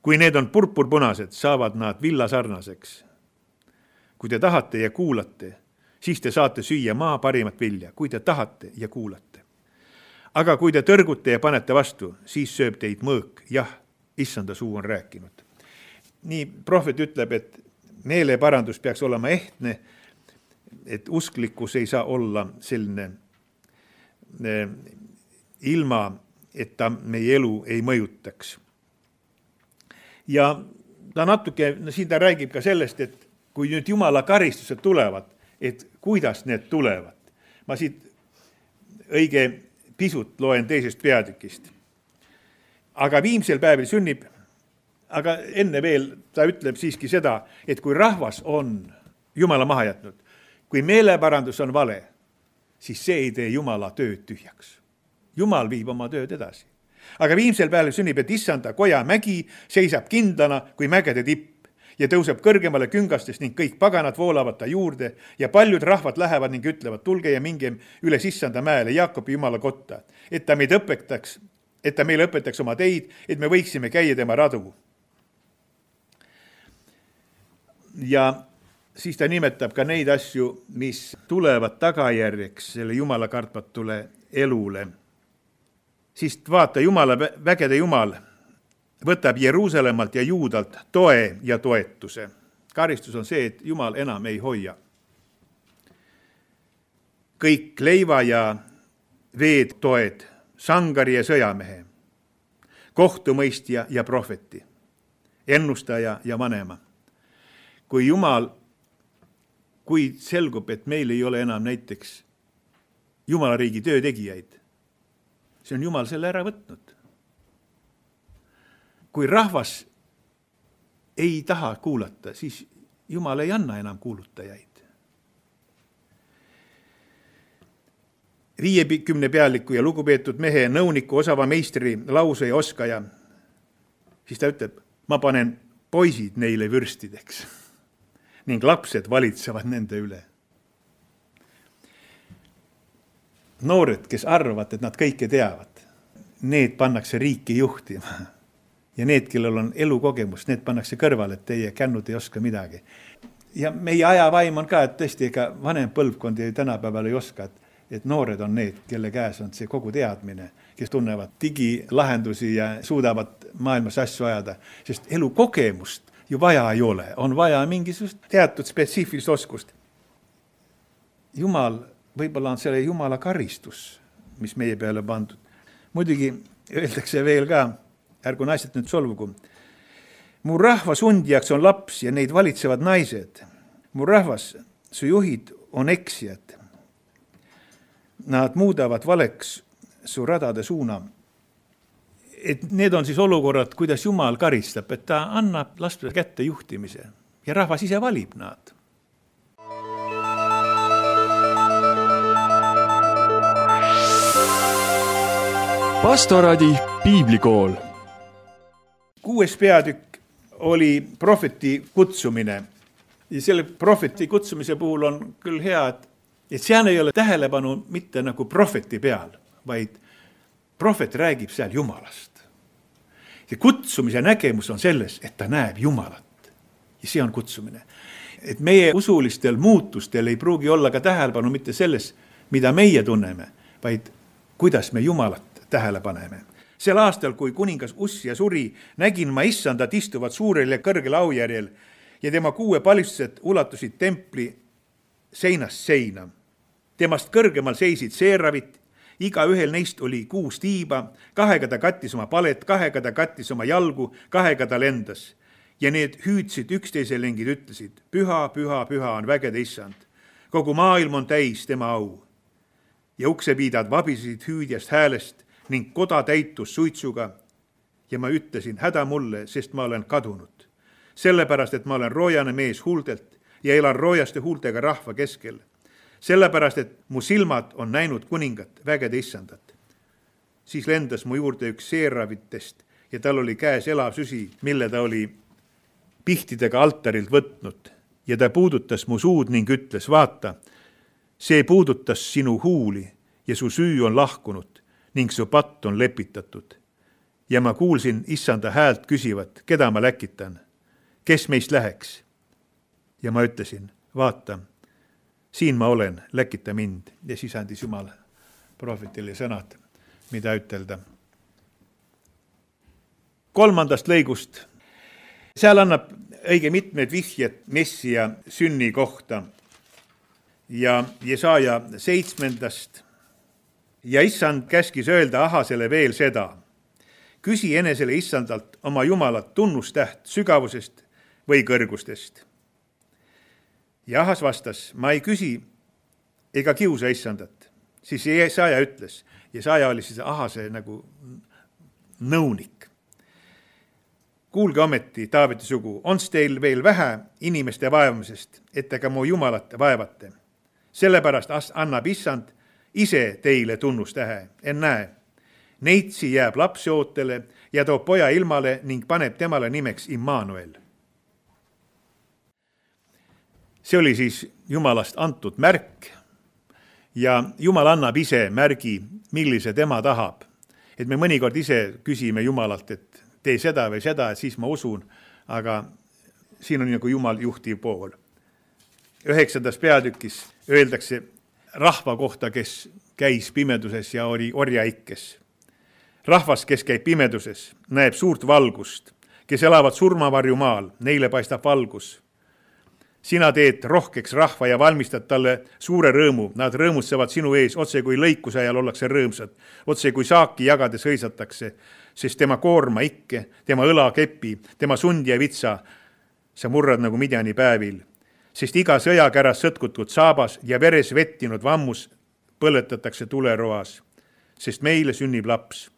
Kui need on purpurpunased, saavad nad villasarnaseks. Kui te tahate ja kuulate, siis te saate süüa maa parimat vilja, kui te tahate ja kuulate. Aga kui te tõrgute ja panete vastu, siis sööb teid mõõk. Jah, issanda suu on rääkinud. Nii prohvet ütleb, et meeleparandus peaks olema ehtne, et usklikkus ei saa olla selline ilma, et ta meie elu ei mõjutaks. Ja ta natuke, no siin ta räägib ka sellest, et kui nüüd Jumala karistused tulevad, et kuidas need tulevad. Ma siit õige pisut loen teisest peatükist. Aga viimsel päevil sünnib, aga enne veel ta ütleb siiski seda, et kui rahvas on Jumala maha jätnud, kui meeleparandus on vale, siis see ei tee Jumala tööd tühjaks. Jumal viib oma tööd edasi. Aga viimsel päevil sünnib, et issanda koja mägi seisab kindlana kui mägede tipp ja tõuseb kõrgemale küngastest ning kõik paganad voolavad ta juurde ja paljud rahvad lähevad ning ütlevad, tulge ja minge üles issanda mäele Jaakobi Jumala kotta, et ta meid õpetaks, et ta meile õpetaks oma teid, et me võiksime käia tema radu. Ja siis ta nimetab ka neid asju, mis tulevad tagajärjeks selle Jumala kartmatule elule. Siis vaata, Jumala vägede Jumal võtab Jeruusalemmalt ja Juudalt toe ja toetuse. Karistus on see, et Jumal enam ei hoia. Kõik leiva ja veed toed, sangari ja sõjamehe, kohtumõistja ja prohveti, ennustaja ja vanema. Kui Jumal, kui selgub, et meil ei ole enam näiteks Jumala riigi töötegijaid. See on Jumal selle ära võtnud. Kui rahvas ei taha kuulata, siis Jumal ei anna enam kuulutajaid. viiekümne pealiku ja lugupeetud mehe, nõuniku, osava meistri, lause ja oskaja, siis ta ütleb, ma panen poisid neile vürstideks ning lapsed valitsevad nende üle. Noored, kes arvavad, et nad kõike teavad, need pannakse riiki juhtima. Ja need, kellel on elukogemus, need pannakse kõrvale, et teie kännud ei oska midagi. Ja meie ajavaim on ka, et tõesti ega vanem põlvkond ja tänapäeval ei oska, et et noored on need, kelle käes on see kogu teadmine, kes tunnevad digilahendusi ja suudavad maailmas asju ajada, sest elukogemust ju vaja ei ole, on vaja mingisugust teatud spetsiifilist oskust. Jumal, võib-olla on selle Jumala karistus, mis meie peale pandud. Muidugi öeldakse veel ka, ärgu naised nüüd solvugu, mu rahva sundjaks on laps ja neid valitsevad naised. Mu rahvas, su juhid on eksijad. Nad muudavad valeks su radade suuna. Et need on siis olukorrad, kuidas Jumal karistab, et ta annab laste kätte juhtimise ja rahvas ise valib nad. Pastoraadi piiblikool. Kuues peatükk oli prohveti kutsumine. Ja selle prohveti kutsumise puhul on küll hea, et et seal ei ole tähelepanu mitte nagu prohveti peal, vaid prohvet räägib seal Jumalast. Ja kutsumise nägemus on selles, et ta näeb Jumalat. Ja see on kutsumine. Et meie usulistel muutustel ei pruugi olla ka tähelepanu mitte selles, mida meie tunneme, vaid kuidas me Jumalat tähele paneme. Sel aastal, kui kuningas Ussia suri, nägin ma issandat istuvad suurel ja kõrgel aujärjel ja tema kuue palistused ulatusid templi seinast seina. Temast kõrgemal seisid seeravit, iga ühel neist oli kuus tiiba, kahega ta kattis oma palet, kahega ta kattis oma jalgu, kahega ta lendas. Ja need hüüdsid üksteisele ning ütlesid, püha, püha, püha on vägede issand. Kogu maailm on täis tema au. Ja uksepiidad vabisesid hüüdjast häälest ning koda täitus suitsuga. Ja ma ütlesin, häda mulle, sest ma olen kadunud. Sellepärast, et ma olen roojane mees huultelt ja elan roojaste huultega rahva keskel. Sellepärast, et mu silmad on näinud kuningat, vägede issandat. Siis lendas mu juurde üks seeravitest ja tal oli käes elav süsi, mille ta oli pihtidega altarilt võtnud. Ja ta puudutas mu suud ning ütles, vaata, see puudutas sinu huuli ja su süü on lahkunud ning su patt on lepitatud. Ja ma kuulsin issanda häält küsivat, keda ma läkitan, kes meist läheks. Ja ma ütlesin, vaata, siin ma olen, läkita mind. Ja siis andis Jumal prohvetile sõnad, mida ütelda. Kolmandast lõigust. Seal annab õige mitmed vihjed Messia sünni kohta. Ja Jesaja seitsmendast. Ja issand käskis öelda Ahasele veel seda. Küsi enesele issandalt oma Jumalat tunnustäht sügavusest või kõrgustest. Ja Ahas vastas, ma ei küsi ega kiusa issandat. Siis Jesaja ütles, Jesaja oli siis Ahase nagu nõunik. Kuulge ometi, Taaveti sugu, on's teil veel vähe inimeste vaevamisest, et ega mu Jumalat vaevate. Sellepärast annab issand ise teile tunnustähe, en näe. Neitsi jääb lapse ootele ja toob poja ilmale ning paneb temale nimeks Immanuel. See oli siis Jumalast antud märk ja Jumal annab ise märgi, millise tema tahab. Et me mõnikord ise küsime Jumalalt, et tee seda või seda, et siis ma usun, aga siin on nagu Jumal juhtiv pool. Üheksandas peatükis öeldakse rahva kohta, kes käis pimeduses ja oli orjaikkes. Rahvas, kes käib pimeduses, näeb suurt valgust, kes elavad surmavarju maal, neile paistab valgus. Sina teed rohkeks rahva ja valmistad talle suure rõõmu. Nad rõõmutsevad sinu ees, otse kui lõikuse ajal ollakse rõõmsad, otse kui saaki jagades hõisatakse, sest tema koorma ikke, tema õla kepi, tema sundi ja vitsa sa murrad nagu Midjani päevil. Sest iga sõjakäras sõtkutud saabas ja veres vettinud vammus põletatakse tuleroas, sest meile sünnib laps.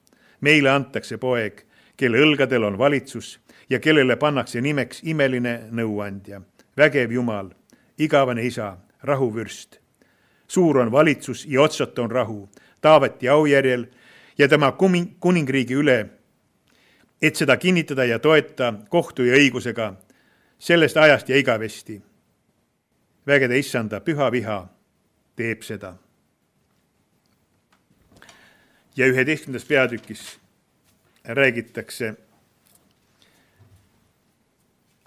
Meile antakse poeg, kelle õlgadel on valitsus ja kellele pannakse nimeks imeline nõuandja, vägev Jumal, igavene isa, rahuvürst. Suur on valitsus ja otsata on rahu, Taaveti aujärjel ja tema kuningriigi üle, et seda kinnitada ja toeta kohtu ja õigusega sellest ajast ja igavesti. Vägede issanda püha viha teeb seda. Ja üheteistkümnendas peatükis räägitakse,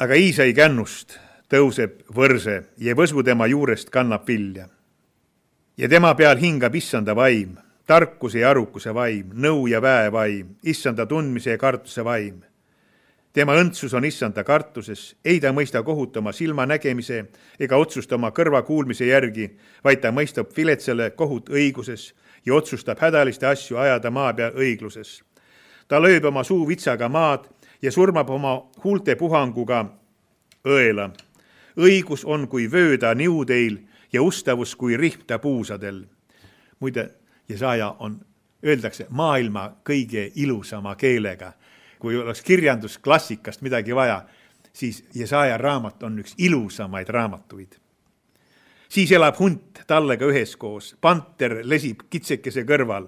aga Iisai kännust tõuseb võrse ja võsu tema juurest kannab vilja. Ja tema peal hingab issanda vaim, tarkuse ja arukuse vaim, nõu ja väe vaim, issanda tundmise ja kartuse vaim. Tema õndsus on issanda kartuses, ei ta mõista kohutama silma nägemise ega otsustama kõrva kuulmise järgi, vaid ta mõistab viletsale kohut õiguses ja otsustab hädaliste asju ajada maa peal õigluses. Ta lööb oma suu vitsaga maad ja surmab oma huulte puhanguga õela. Õigus on kui vööda niudeil ja ustavus kui rihta puusadel. Muide, Jesaja on, öeldakse, maailma kõige ilusama keelega. Kui oleks kirjandusklassikast midagi vaja, siis Jesaja raamat on üks ilusamaid raamatuid. Siis elab hunt tallega üheskoos, panter lesib kitsekese kõrval,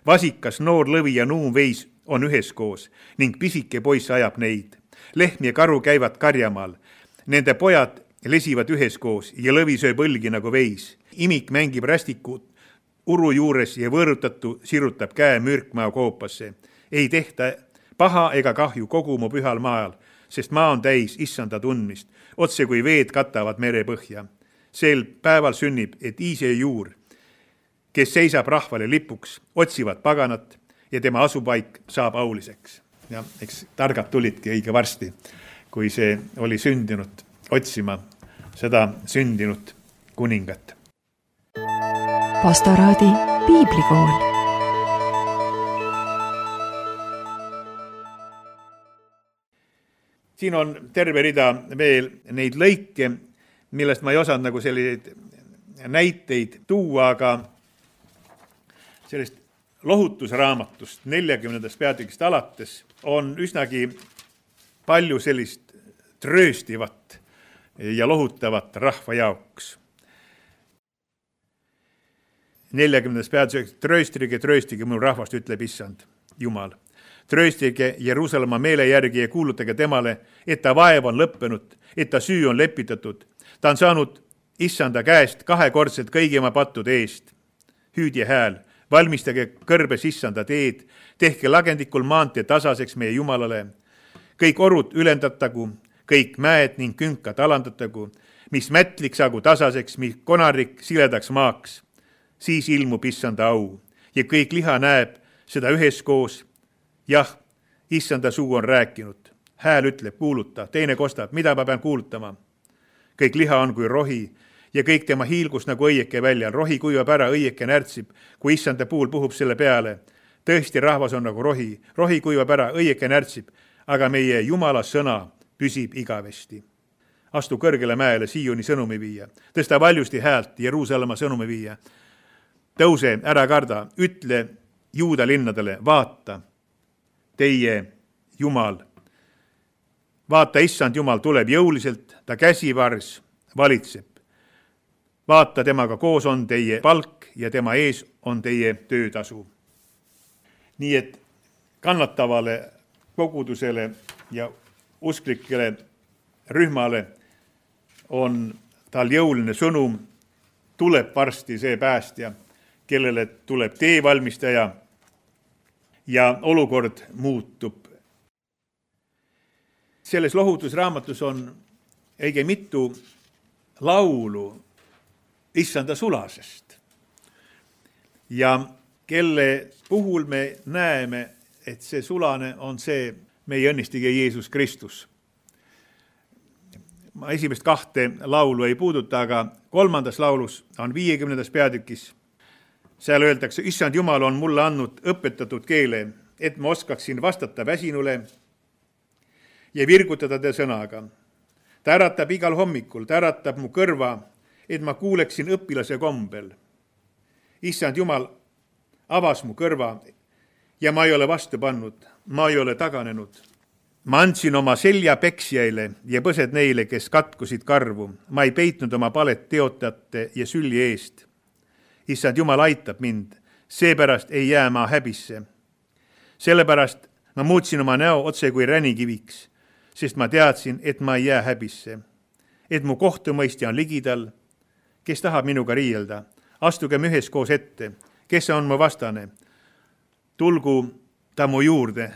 vasikas, noor lõvi ja nuumveis on üheskoos ning pisike poiss ajab neid. Lehm ja karu käivad karjamaal, nende pojad lesivad üheskoos ja lõvi sööb õlgi nagu veis. Imik mängib rästiku uru juures ja võõrutatu sirutab käe mürkmaa koopasse. Ei tehta paha ega kahju kogu mu pühal maal, sest maa on täis issanda tundmist, otse kui veed katavad mere põhja. Sel päeval sünnib, et Iisai juur, kes seisab rahvale lipuks, otsivad paganat ja tema asupaik saab auliseks. Ja eks targad tulidki õige varsti, kui see oli sündinud otsima seda sündinud kuningat. Pastoraadi piiblikool. Siin on terve rida veel neid lõike, millest ma ei osanud nagu selliseid näiteid tuua, aga sellest lohutusraamatust neljakümnendast peatükist alates on üsnagi palju sellist trööstivat ja lohutavat rahva jaoks. neljakümnendas peatükis, trööstige, trööstige minu rahvast, ütleb issand Jumal. Trööstige Jeruusalemma meele järgi ja kuulutage temale, et ta vaev on lõppenud, et ta süü on lepitatud. Ta on saanud issanda käest kahekordselt kõigi oma pattude eest. Hüüdje hääl, valmistage kõrbes issanda teed, tehke lagendikul maantee tasaseks meie Jumalale. Kõik orud ülendatagu, kõik mäed ning künkad alandatagu, mis mätlik saagu tasaseks, mis konarik siledaks maaks. Siis ilmub issanda au ja kõik liha näeb seda üheskoos. Jah, issanda suu on rääkinud. Hääl ütleb, kuuluta, teine kostab, mida ma pean kuulutama. Kõik liha on kui rohi ja kõik tema hiilgus nagu õieke väljal. Rohi kuivab ära, õieke närtsib, kui issanda puul puhub selle peale. Tõesti, rahvas on nagu rohi. Rohi kuivab ära, õieke närtsib, aga meie Jumala sõna püsib igavesti. Astu kõrgele mäele Sioni sõnumi viia. Tõsta valjusti häält Jeruusalemma sõnumi viia. Tõuse, ära karda, ütle Juuda linnadele, vaata, teie Jumal. Vaata, issand Jumal tuleb jõuliselt, ta käsivars valitseb. Vaata, temaga koos on teie palk ja tema ees on teie töötasu. Nii et kannatavale kogudusele ja usklikele rühmale on tal jõuline sõnum, tuleb varsti see päästja, kellele tuleb tee valmistaja ja olukord muutub. Selles lohutusraamatus on õige mitu laulu issanda sulasest ja kelle puhul me näeme, et see sulane on see meie õnnistige Jeesus Kristus. Ma esimest kahte laulu ei puuduta, aga kolmandas laulus on viiekümnendas peatükis. Seal öeldakse, issand Jumal on mulle andnud õpetatud keele, et ma oskaksin vastata väsinule ja virgutada ta sõnaga. Ta äratab igal hommikul, ta äratab mu kõrva, et ma kuuleksin õpilase kombel. issand Jumal avas mu kõrva ja ma ei ole vastu pannud, ma ei ole taganenud. Ma andsin oma selja peksjaile ja põsed neile, kes katkusid karvu. Ma ei peitnud oma palet teotajate ja sülli eest. Issand Jumal aitab mind, seepärast ei jää ma häbisse. Sellepärast ma muutsin oma näo otse kui ränikiviks, sest ma teadsin, et ma ei jää häbisse. Et mu kohtumõistja on ligidal, kes tahab minuga riielda. Astugem üheskoos ette, kes on mu vastane. Tulgu ta mu juurde.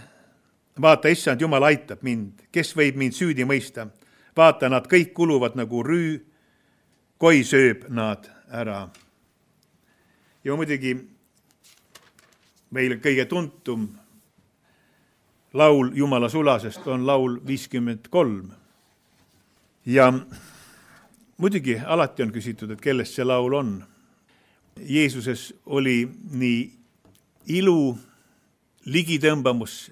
Vaata, issand Jumal aitab mind, kes võib mind süüdi mõista. Vaata, nad kõik kuluvad nagu rüü, koi sööb nad ära. Ja muidugi meil kõige tuntum laul Jumala sulasest on laul viiskümmend kolm. Ja muidugi alati on küsitud, et kellest see laul on. Jeesuses oli nii ilu, ligitõmbamus,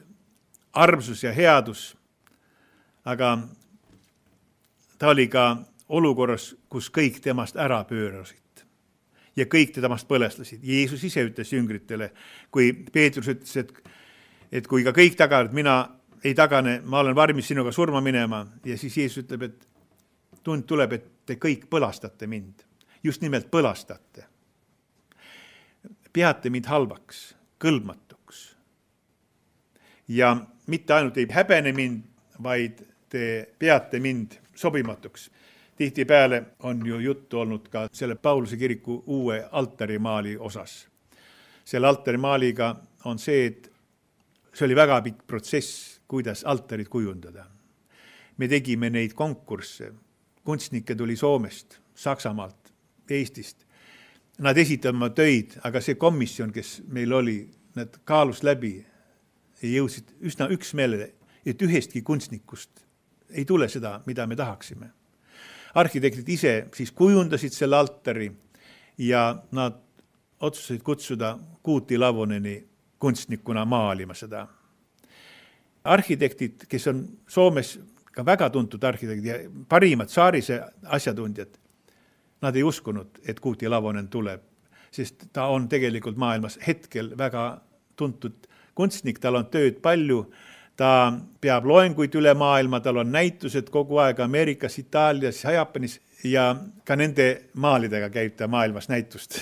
armsus ja headus, aga ta oli ka olukorras, kus kõik temast ära pöörasid ja kõik temast põlestasid. Jeesus ise ütles jüngritele, kui Peetrus ütles, et, et kui ka kõik tagavad, mina ei tagane, ma olen varmis sinuga surma minema, ja siis Jeesus ütleb, et tund tuleb, et te kõik põlastate mind. Just nimelt põlastate. Peate mind halvaks, kõlbmatuks. Ja mitte ainult ei häbene mind, vaid te peate mind sobimatuks. Tihtipeale on ju juttu olnud ka selle Pauluse kiriku uue altarimaali osas. Selle altarimaaliga on see, et see oli väga pikk protsess, kuidas altarid kujundada. Me tegime neid konkursse. Kunstnikke tuli Soomest, Saksamaalt, Eestist. Nad esitavad oma töid, aga see komisjon, kes meil oli, nad kaalus läbi ja jõudsid üsna üksmeelele, et ühestki kunstnikust ei tule seda, mida me tahaksime. Arhitektid ise siis kujundasid selle altari ja nad otsustasid kutsuda Kuuti Lavoneni kunstnikuna maalima seda. Arhitektid, kes on Soomes ka väga tuntud arhitektid ja parimad saarise asjatundjad, nad ei uskunud, et Kuuti Lavonen tuleb, sest ta on tegelikult maailmas hetkel väga tuntud kunstnik, tal on tööd palju, ta peab loenguid üle maailma, tal on näitused kogu aeg Ameerikas, Itaalias, Jaapanis ja ka nende maalidega käib ta maailmas näitust.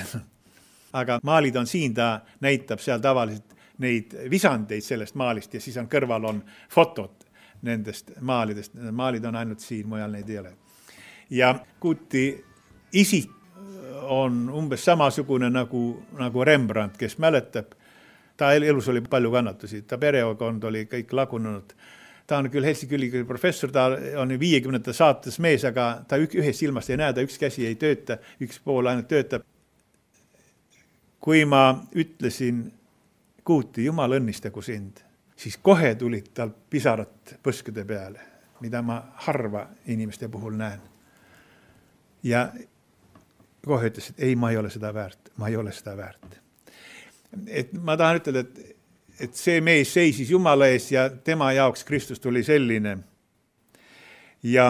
Aga maalid on siin, ta näitab seal tavaliselt neid visandeid sellest maalist ja siis on kõrval on fotod nendest maalidest. Maalid on ainult siin, mujal neid ei ole. Ja Kuuti isik on umbes samasugune nagu, nagu Rembrandt, kes mäletab. Ta elus oli palju kannatusi, ta perekond oli kõik lagunenud. Ta on küll Helsingi ülikooli professor, ta on viiekümnendate saates mees, aga ta ühes silmast ei näe, ta üks käsi ei tööta, üks pool ainult töötab. Kui ma ütlesin Kuuti, Jumal õnnistagu sind, siis kohe tulid tal pisarat põskude peale, mida ma harva inimeste puhul näen. Ja kohe ütles, et ei, ma ei ole seda väärt, ma ei ole seda väärt. Et ma tahan ütelda, et, et see mees seisis Jumala ees ja tema jaoks Kristus tuli selline. Ja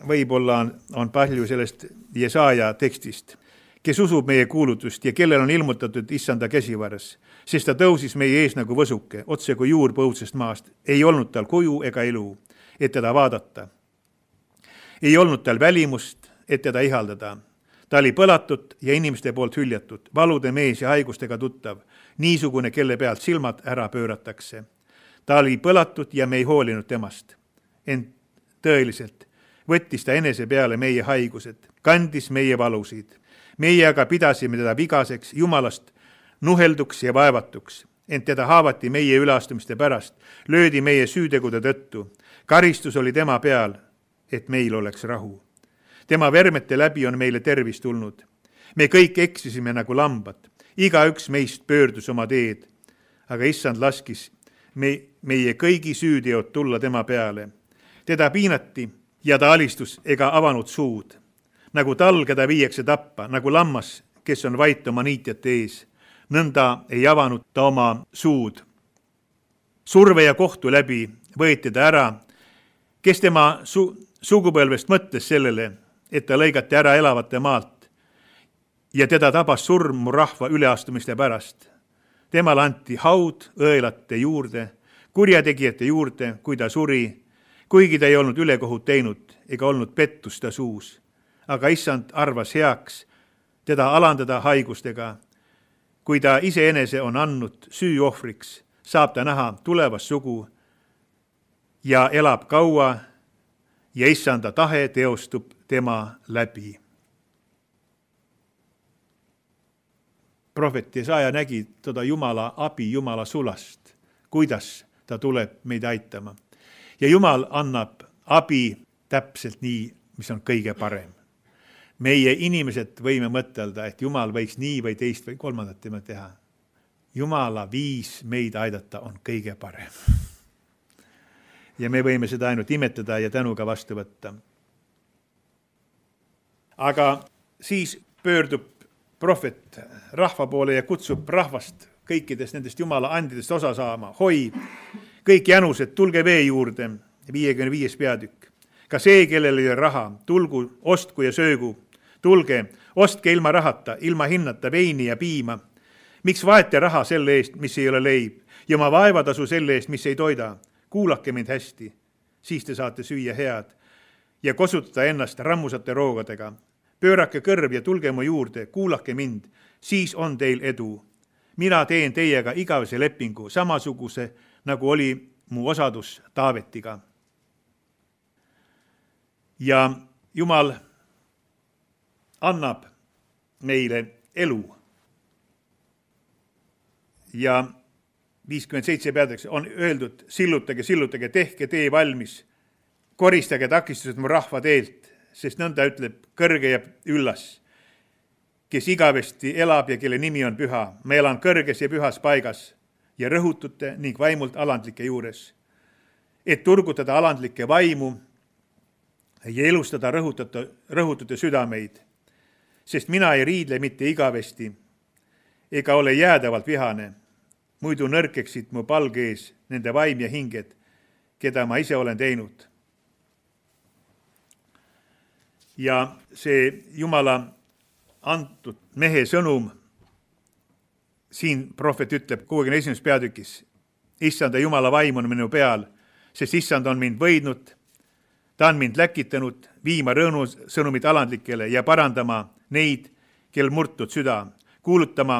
võib-olla on, on palju sellest Jesaja tekstist, kes usub meie kuulutust ja kellel on ilmutatud issanda käsivaras, sest ta tõusis meie ees nagu võsuke, otse kui juur põudsest maast. Ei olnud tal kuju ega elu, et teda vaadata. Ei olnud tal välimust, et teda ihaldada. Ta oli põlatud ja inimeste poolt hüljatud, valude mees ja haigustega tuttav, niisugune, kelle pealt silmad ära pööratakse. Ta oli põlatud ja me ei hoolinud temast. Ent tõeliselt võttis ta enese peale meie haigused, kandis meie valusid. Meie aga pidasime teda vigaseks, Jumalast nuhelduks ja vaevatuks. Ent teda haavati meie üleastumiste pärast, löödi meie süütegude tõttu. Karistus oli tema peal, et meil oleks rahu. Tema vermete läbi on meile tervis tulnud. Me kõik eksisime nagu lambad. Iga üks meist pöördus oma teed, aga issand laskis me, meie kõigi süüteod tulla tema peale. Teda piinati ja ta alistus ega avanud suud. Nagu tal, keda viiakse tappa, nagu lammas, kes on vait oma niitjate ees. Nõnda ei avanud ta oma suud. Surve ja kohtu läbi võeti ta ära, kes tema su- sugupõlvest mõtles sellele, et ta lõigati ära elavate maalt ja teda tabas surm mu rahva üleastumiste pärast. Temale anti haud õelate juurde, kurjategijate juurde, kui ta suri, kuigi ta ei olnud ülekohut teinud ega olnud pettust ta suus. Aga issand arvas heaks teda alandada haigustega. Kui ta iseenese on andnud süüohvriks, saab ta näha tulevast sugu ja elab kaua ja issanda tahe teostub tema läbi. Prohvet Jesaja nägi teda Jumala abi, Jumala sulast, kuidas ta tuleb meid aitama. Ja Jumal annab abi täpselt nii, mis on kõige parem. Meie inimesed võime mõtelda, et Jumal võiks nii või teist või kolmandat tema teha. Jumala viis meid aidata on kõige parem. Ja me võime seda ainult imetada ja tänuga vastu võtta. Aga siis pöördub prohvet rahva poole ja kutsub rahvast kõikidest nendest Jumala andidest osa saama. Hoi, kõik jänused, tulge vee juurde, viiekümne viies peatükk. Ka see, kellel ei ole raha, tulgu, ostku ja söögu. Tulge, ostke ilma rahata, ilma hinnata veini ja piima. Miks vaete raha selle eest, mis ei ole leib, ja oma vaevatasu selle eest, mis ei toida? Kuulake mind hästi, siis te saate süüa head ja kosutada ennast rammusate roogadega. Pöörake kõrv ja tulge mu juurde, kuulake mind, siis on teil edu. Mina teen teiega igavese lepingu, samasuguse, nagu oli mu osadus Taavetiga. Ja Jumal annab meile elu. Ja viiskümmend seitse peateks on öeldud, sillutage, sillutage, tehke tee valmis, koristage takistused mu rahva teelt, sest nõnda ütleb kõrge ja üllas, kes igavesti elab ja kelle nimi on püha. Ma elan kõrges ja pühas paigas ja rõhutute ning vaimult alandlike juures, et turgutada alandlike vaimu ja elustada rõhutute, rõhutute südameid, sest mina ei riidle mitte igavesti ega ole jäädavalt vihane, muidu nõrkeksid mu palge ees nende vaim ja hinged, keda ma ise olen teinud. Ja see Jumala antud mehe sõnum, siin prohvet ütleb kuuekümne esimeses peatükis, issanda Jumala vaim on minu peal, sest issand on mind võidnud, ta on mind läkitanud viima rõõmusõnumid alandlikele ja parandama neid, kel murtud süda, kuulutama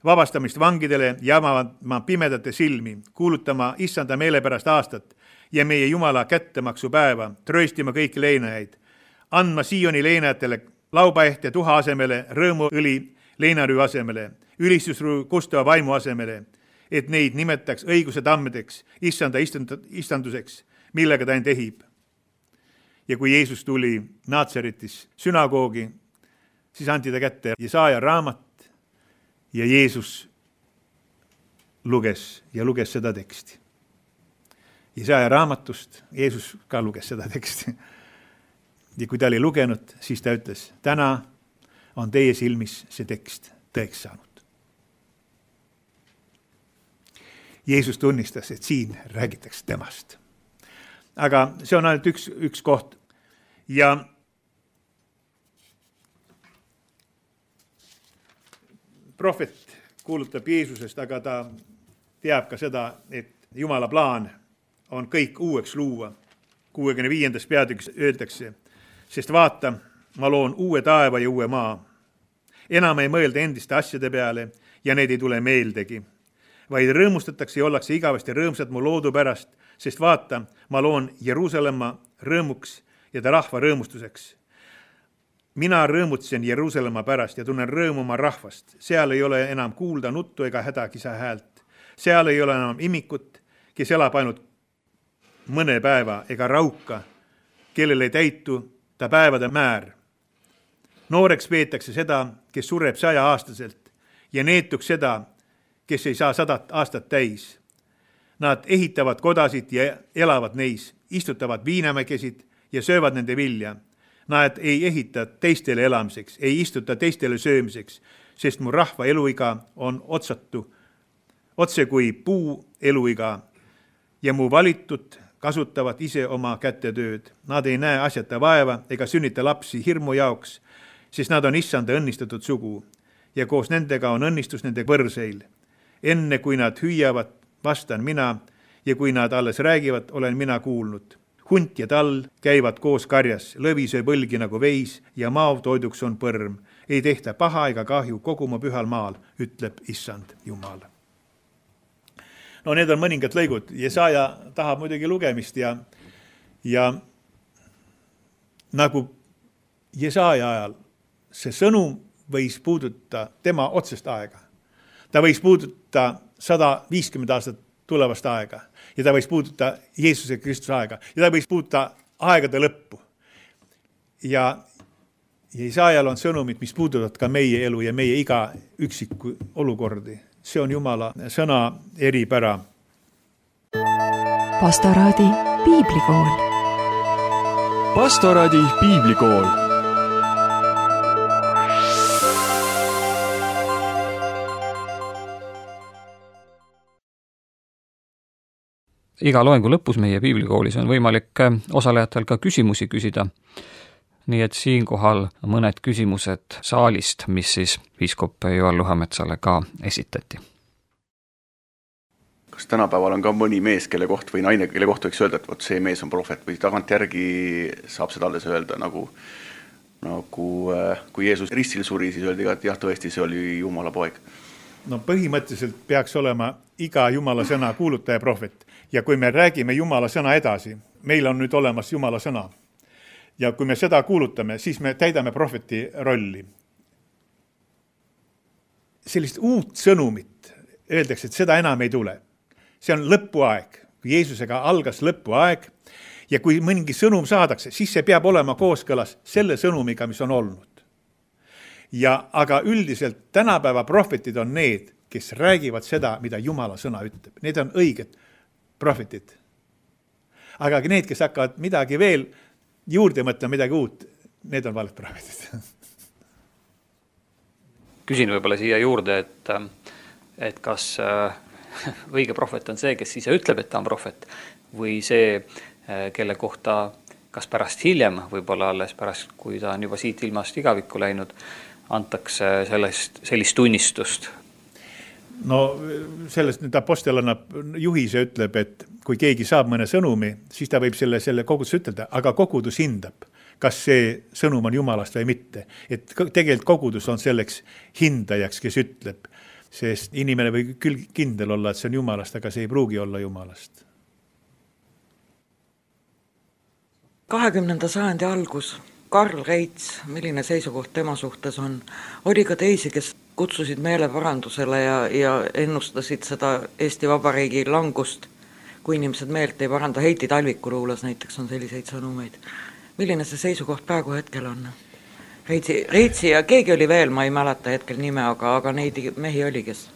vabastamist vangidele ja avama pimedate silmi, kuulutama issanda meelepärast aastat ja meie Jumala kättemaksu päeva, trööstima kõiki leinajaid, andma Sioni leinajatele laubaeht ja tuha asemele, rõõmuõli leinarüü asemele, ülistusrüü kustava vaimu asemele, et neid nimetaks õiguse tammedeks, issanda istanduseks, millega ta end ehib. Ja kui Jeesus tuli Naatsaretis sünagoogi, siis anti ta kätte Jesaja raamat ja Jeesus luges ja luges seda teksti. Jesaja raamatust Jeesus ka luges seda teksti. Ja kui ta oli lugenud, siis ta ütles, täna on teie silmis see tekst tõeks saanud. Jeesus tunnistas, et siin räägitakse temast. Aga see on ainult üks, üks koht. Ja prohvet kuulutab Jeesusest, aga ta teab ka seda, et Jumala plaan on kõik uueks luua. kuuekümne viiendas peatükis öeldakse, sest vaata, ma loon uue taeva ja uue maa. Enam ei mõelda endiste asjade peale ja need ei tule meeldegi, vaid rõõmustatakse ja ollakse igavesti rõõmsad mu loodu pärast, sest vaata, ma loon Jeruusalemma rõõmuks ja ta rahva rõõmustuseks. Mina rõõmutsen Jeruusalemma pärast ja tunnen rõõmu oma rahvast. Seal ei ole enam kuulda nuttu ega hädakisa häält. Seal ei ole enam imikut, kes elab ainult mõne päeva ega rauka, kellel ei täitu ta päevade määr. Nooreks peetakse seda, kes sureb saja aastaselt ja neetuks seda, kes ei saa sadat aastat täis. Nad ehitavad kodasid ja elavad neis, istutavad viinamägesid ja söövad nende vilja. Nad ei ehita teistele elamiseks, ei istuta teistele söömiseks, sest mu rahva eluiga on otsatu, otse kui puu eluiga ja mu valitud kasutavad ise oma kätetööd. Nad ei näe asjata vaeva ega sünnita lapsi hirmu jaoks sest nad on issanda õnnistatud sugu ja koos nendega on õnnistus nende võrseil. Enne kui nad hüüavad, vastan mina ja kui nad alles räägivad, olen mina kuulnud. Hunt ja tall käivad koos karjas, lõvi sööb õlgi nagu veis ja maav toiduks on põrm. Ei tehta paha ega kahju kogu mu pühal maal, ütleb issand Jumal. No need on mõningad lõigud. Jesaja tahab muidugi lugemist ja, ja nagu Jesaja ajal see sõnum võis puuduta tema otsest aega. Ta võis puuduta sada viiskümmend aastat tulevast aega ja ta võis puuduta Jeesuse Kristuse aega ja ta võis puuduta aegade lõppu. Ja Jesaajal on sõnumid, mis puudutavad ka meie elu ja meie iga üksiku olukordi. See on Jumala sõna eripära. Pastoraadi piiblikool. Pastoraadi piiblikool. Iga loengu lõpus meie piiblikoolis on võimalik osalejatel ka küsimusi küsida. Nii et siinkohal mõned küsimused saalist, mis siis piiskop Joel Luhametsale ka esitati. Kas tänapäeval on ka mõni mees, kelle koht või naine, kelle koht võiks öelda, et võt see mees on prohvet või tagant järgi saab seda alles öelda, nagu, nagu kui Jeesus ristil suri, siis öeldi ka, et jah, tõesti, see oli Jumala poeg. No põhimõtteliselt peaks olema iga Jumala sõna kuulutaja prohvet. Ja kui me räägime Jumala sõna edasi, meil on nüüd olemas Jumala sõna. Ja kui me seda kuulutame, siis me täidame prohveti rolli. Sellist uut sõnumit öeldakse, et seda enam ei tule. See on lõpuaeg. Kui Jeesusega algas lõpuaeg ja kui mõningi sõnum saadakse, siis see peab olema kooskõlas selle sõnumiga, mis on olnud. Ja aga üldiselt tänapäeva prohvetid on need, kes räägivad seda, mida Jumala sõna ütleb. Need on õiged prohvetid. Aga need, kes hakkavad midagi veel juurde mõtlema, midagi uut, need on valed prohvetid. Küsin võib-olla siia juurde, et, et kas õige prohvet on see, kes ise ütleb, et ta on prohvet, või see, kelle kohta kas pärast hiljem, võib-olla alles pärast, kui ta on juba siit ilmast igavikku läinud, antakse sellest, sellist tunnistust. No sellest nüüd apostel annab juhise ütleb, et kui keegi saab mõne sõnumi, siis ta võib selle, selle kogudus ütelda, aga kogudus hindab, kas see sõnum on Jumalast või mitte. Et tegelikult kogudus on selleks hindajaks, kes ütleb, sest inimene võib küll kindel olla, et see on Jumalast, aga see ei pruugi olla Jumalast. kahekümnenda sajandi algus. Karl Reits, milline seisukoht tema suhtes on, oli ka teisi, kes kutsusid meeleparandusele ja, ja ennustasid seda Eesti Vabariigi langust, kui inimesed meelt ei paranda. Heiti Talviku luules näiteks on selliseid sõnumeid. Milline see seisukoht praegu hetkel on? Reitsi, Reitsi ja keegi oli veel, ma ei mäleta hetkel nime, aga, aga neid mehi oli, kes?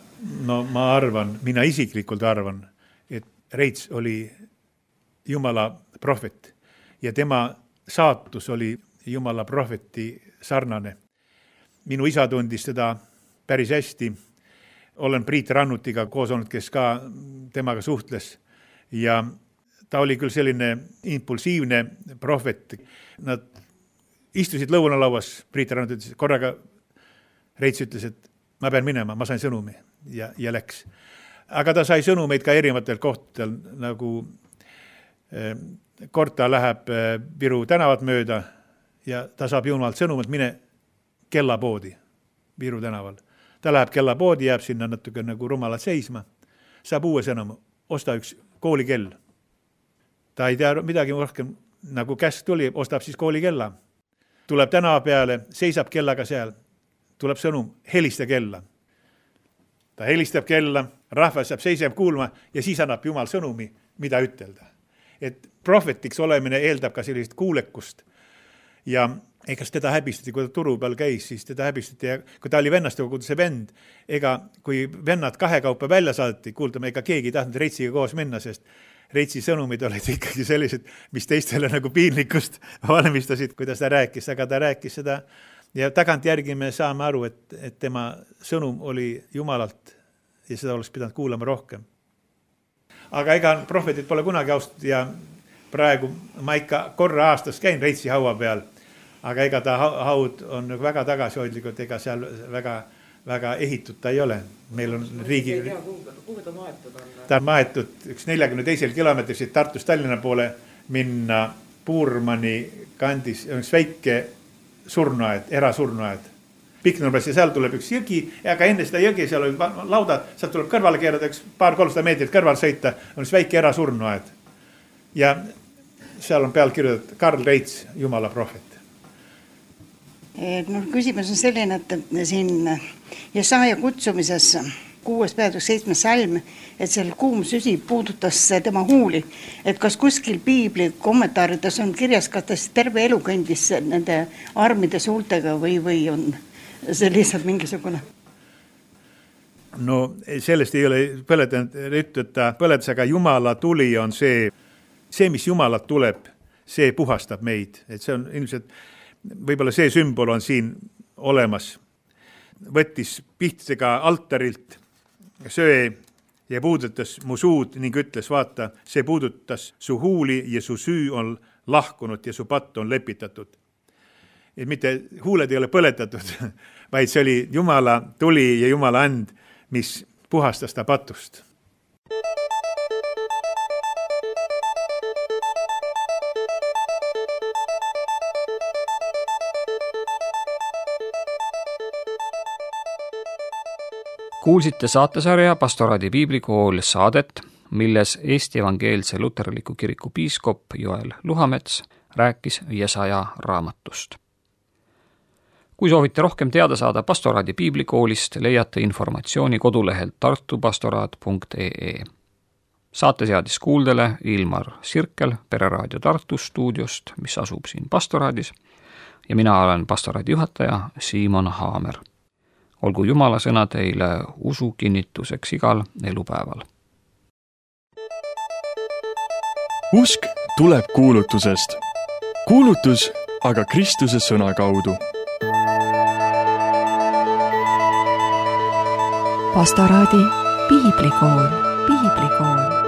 No ma arvan, mina isiklikult arvan, et Reits oli Jumala prohvet ja tema saatus oli Jumala prohveti sarnane. Minu isa tundis teda päris hästi. Olen Priit Rannutiga koos olnud, kes ka temaga suhtles. Ja ta oli küll selline impulsiivne prohvet. Nad istusid lõunalauas, Priit Rannut ütles, korraga Reits ütles, et ma pean minema, ma sain sõnumi ja, ja läks. Aga ta sai sõnumeid ka erinevatel kohtadel, nagu eh, kord ta läheb eh, Viru tänavat mööda, ja ta saab Jumalalt sõnumalt, mine kellapoodi Viru tänaval. Ta läheb kellapoodi, jääb sinna natuke nagu rumalalt seisma, saab uue sõnumi, osta üks koolikell. Ta ei tea midagi rohkem, nagu käsk tuli, ostab siis koolikella. Tuleb tänava peale, seisab kellaga seal, tuleb sõnum, helista kella. Ta helistab kella, rahvas saab seisab kuulma ja siis annab Jumal sõnumi, mida ütelda. Et prohvetiks olemine eeldab ka sellist kuulekust. Ja ega teda häbistati, kui ta turu peal käis, siis teda häbistati ja kui ta oli vennaste koguduse vend, ega kui vennad kahe kaupa välja saadeti, kuuldame, ega keegi ei tahtnud Reitsiga koos minna, sest Reitsi sõnumid olid ikkagi sellised, mis teistele nagu piinlikust valmistasid, kuidas ta rääkis, aga ta rääkis seda ja tagant järgi me saame aru, et, et tema sõnum oli Jumalalt ja seda oleks pidanud kuulama rohkem. Aga ega prohvetit pole kunagi austatud ja praegu ma ikka korra aastas käin Reitsi haua peal, aga ega ta haud on väga tagasihoidlikult, ega seal väga, väga ehitud ta ei ole. Meil on riigi... Kuhu ta maetud on? Ta on maetud üks neljakümne teisel kilomeetris siit Tartust Tallinna poole minna Puurmani kandis, on üks väike surnuaed, erasurnuaed. Piknurmes ja seal tuleb üks jõgi, aga enne seda jõgi seal oli laudad, seal tuleb kõrvale keerada üks paar-kolmsada meetrit kõrval sõita, on üks väike erasurnuaed. Ja seal on peal kirjutatud Karl Reits, Jumala prohvet. No, küsimus on selline, et siin Jesaja kutsumises kuues peatükk seitsmes salm, et seal kuum süsi puudutas tema huuli, et kas kuskil piibli kommentaarides on kirjas, kas ta terve elu kõndis nende armide suultega või, või on see lihtsalt mingisugune? No sellest ei ole põletanud, ütleta põletas, aga Jumala tuli on see, see, mis Jumalat tuleb, see puhastab meid, et see on ilmselt võib-olla see sümbol on siin olemas. Võttis pihtidega altarilt söe ja puudutas mu suud ning ütles, vaata, see puudutas su huuli ja su süü on lahkunud ja su patt on lepitatud. Et mitte huuled ei ole põletatud, vaid see oli Jumala tuli ja Jumala and, mis puhastas ta patust. Kuulsite saatesarja Pastoraadi piiblikool saadet, milles Eesti Evangeelse Luterliku Kiriku piiskop Joel Luhamets rääkis Jesaja raamatust. Kui soovite rohkem teada saada Pastoraadi piiblikoolist, leiate informatsiooni kodulehelt tartupastoraat punkt ee. Saate seadis kuuldele Ilmar Sirkel Pereraadio Tartu stuudiost, mis asub siin Pastoraadis, ja mina olen Pastoraadi juhataja Siimon Haamer. Olgu Jumala sõna teile usu kinnituseks igal elupäeval. Usk tuleb kuulutusest. Kuulutus aga Kristuse sõna kaudu. Pastoraadi piiblikool, piiblikool.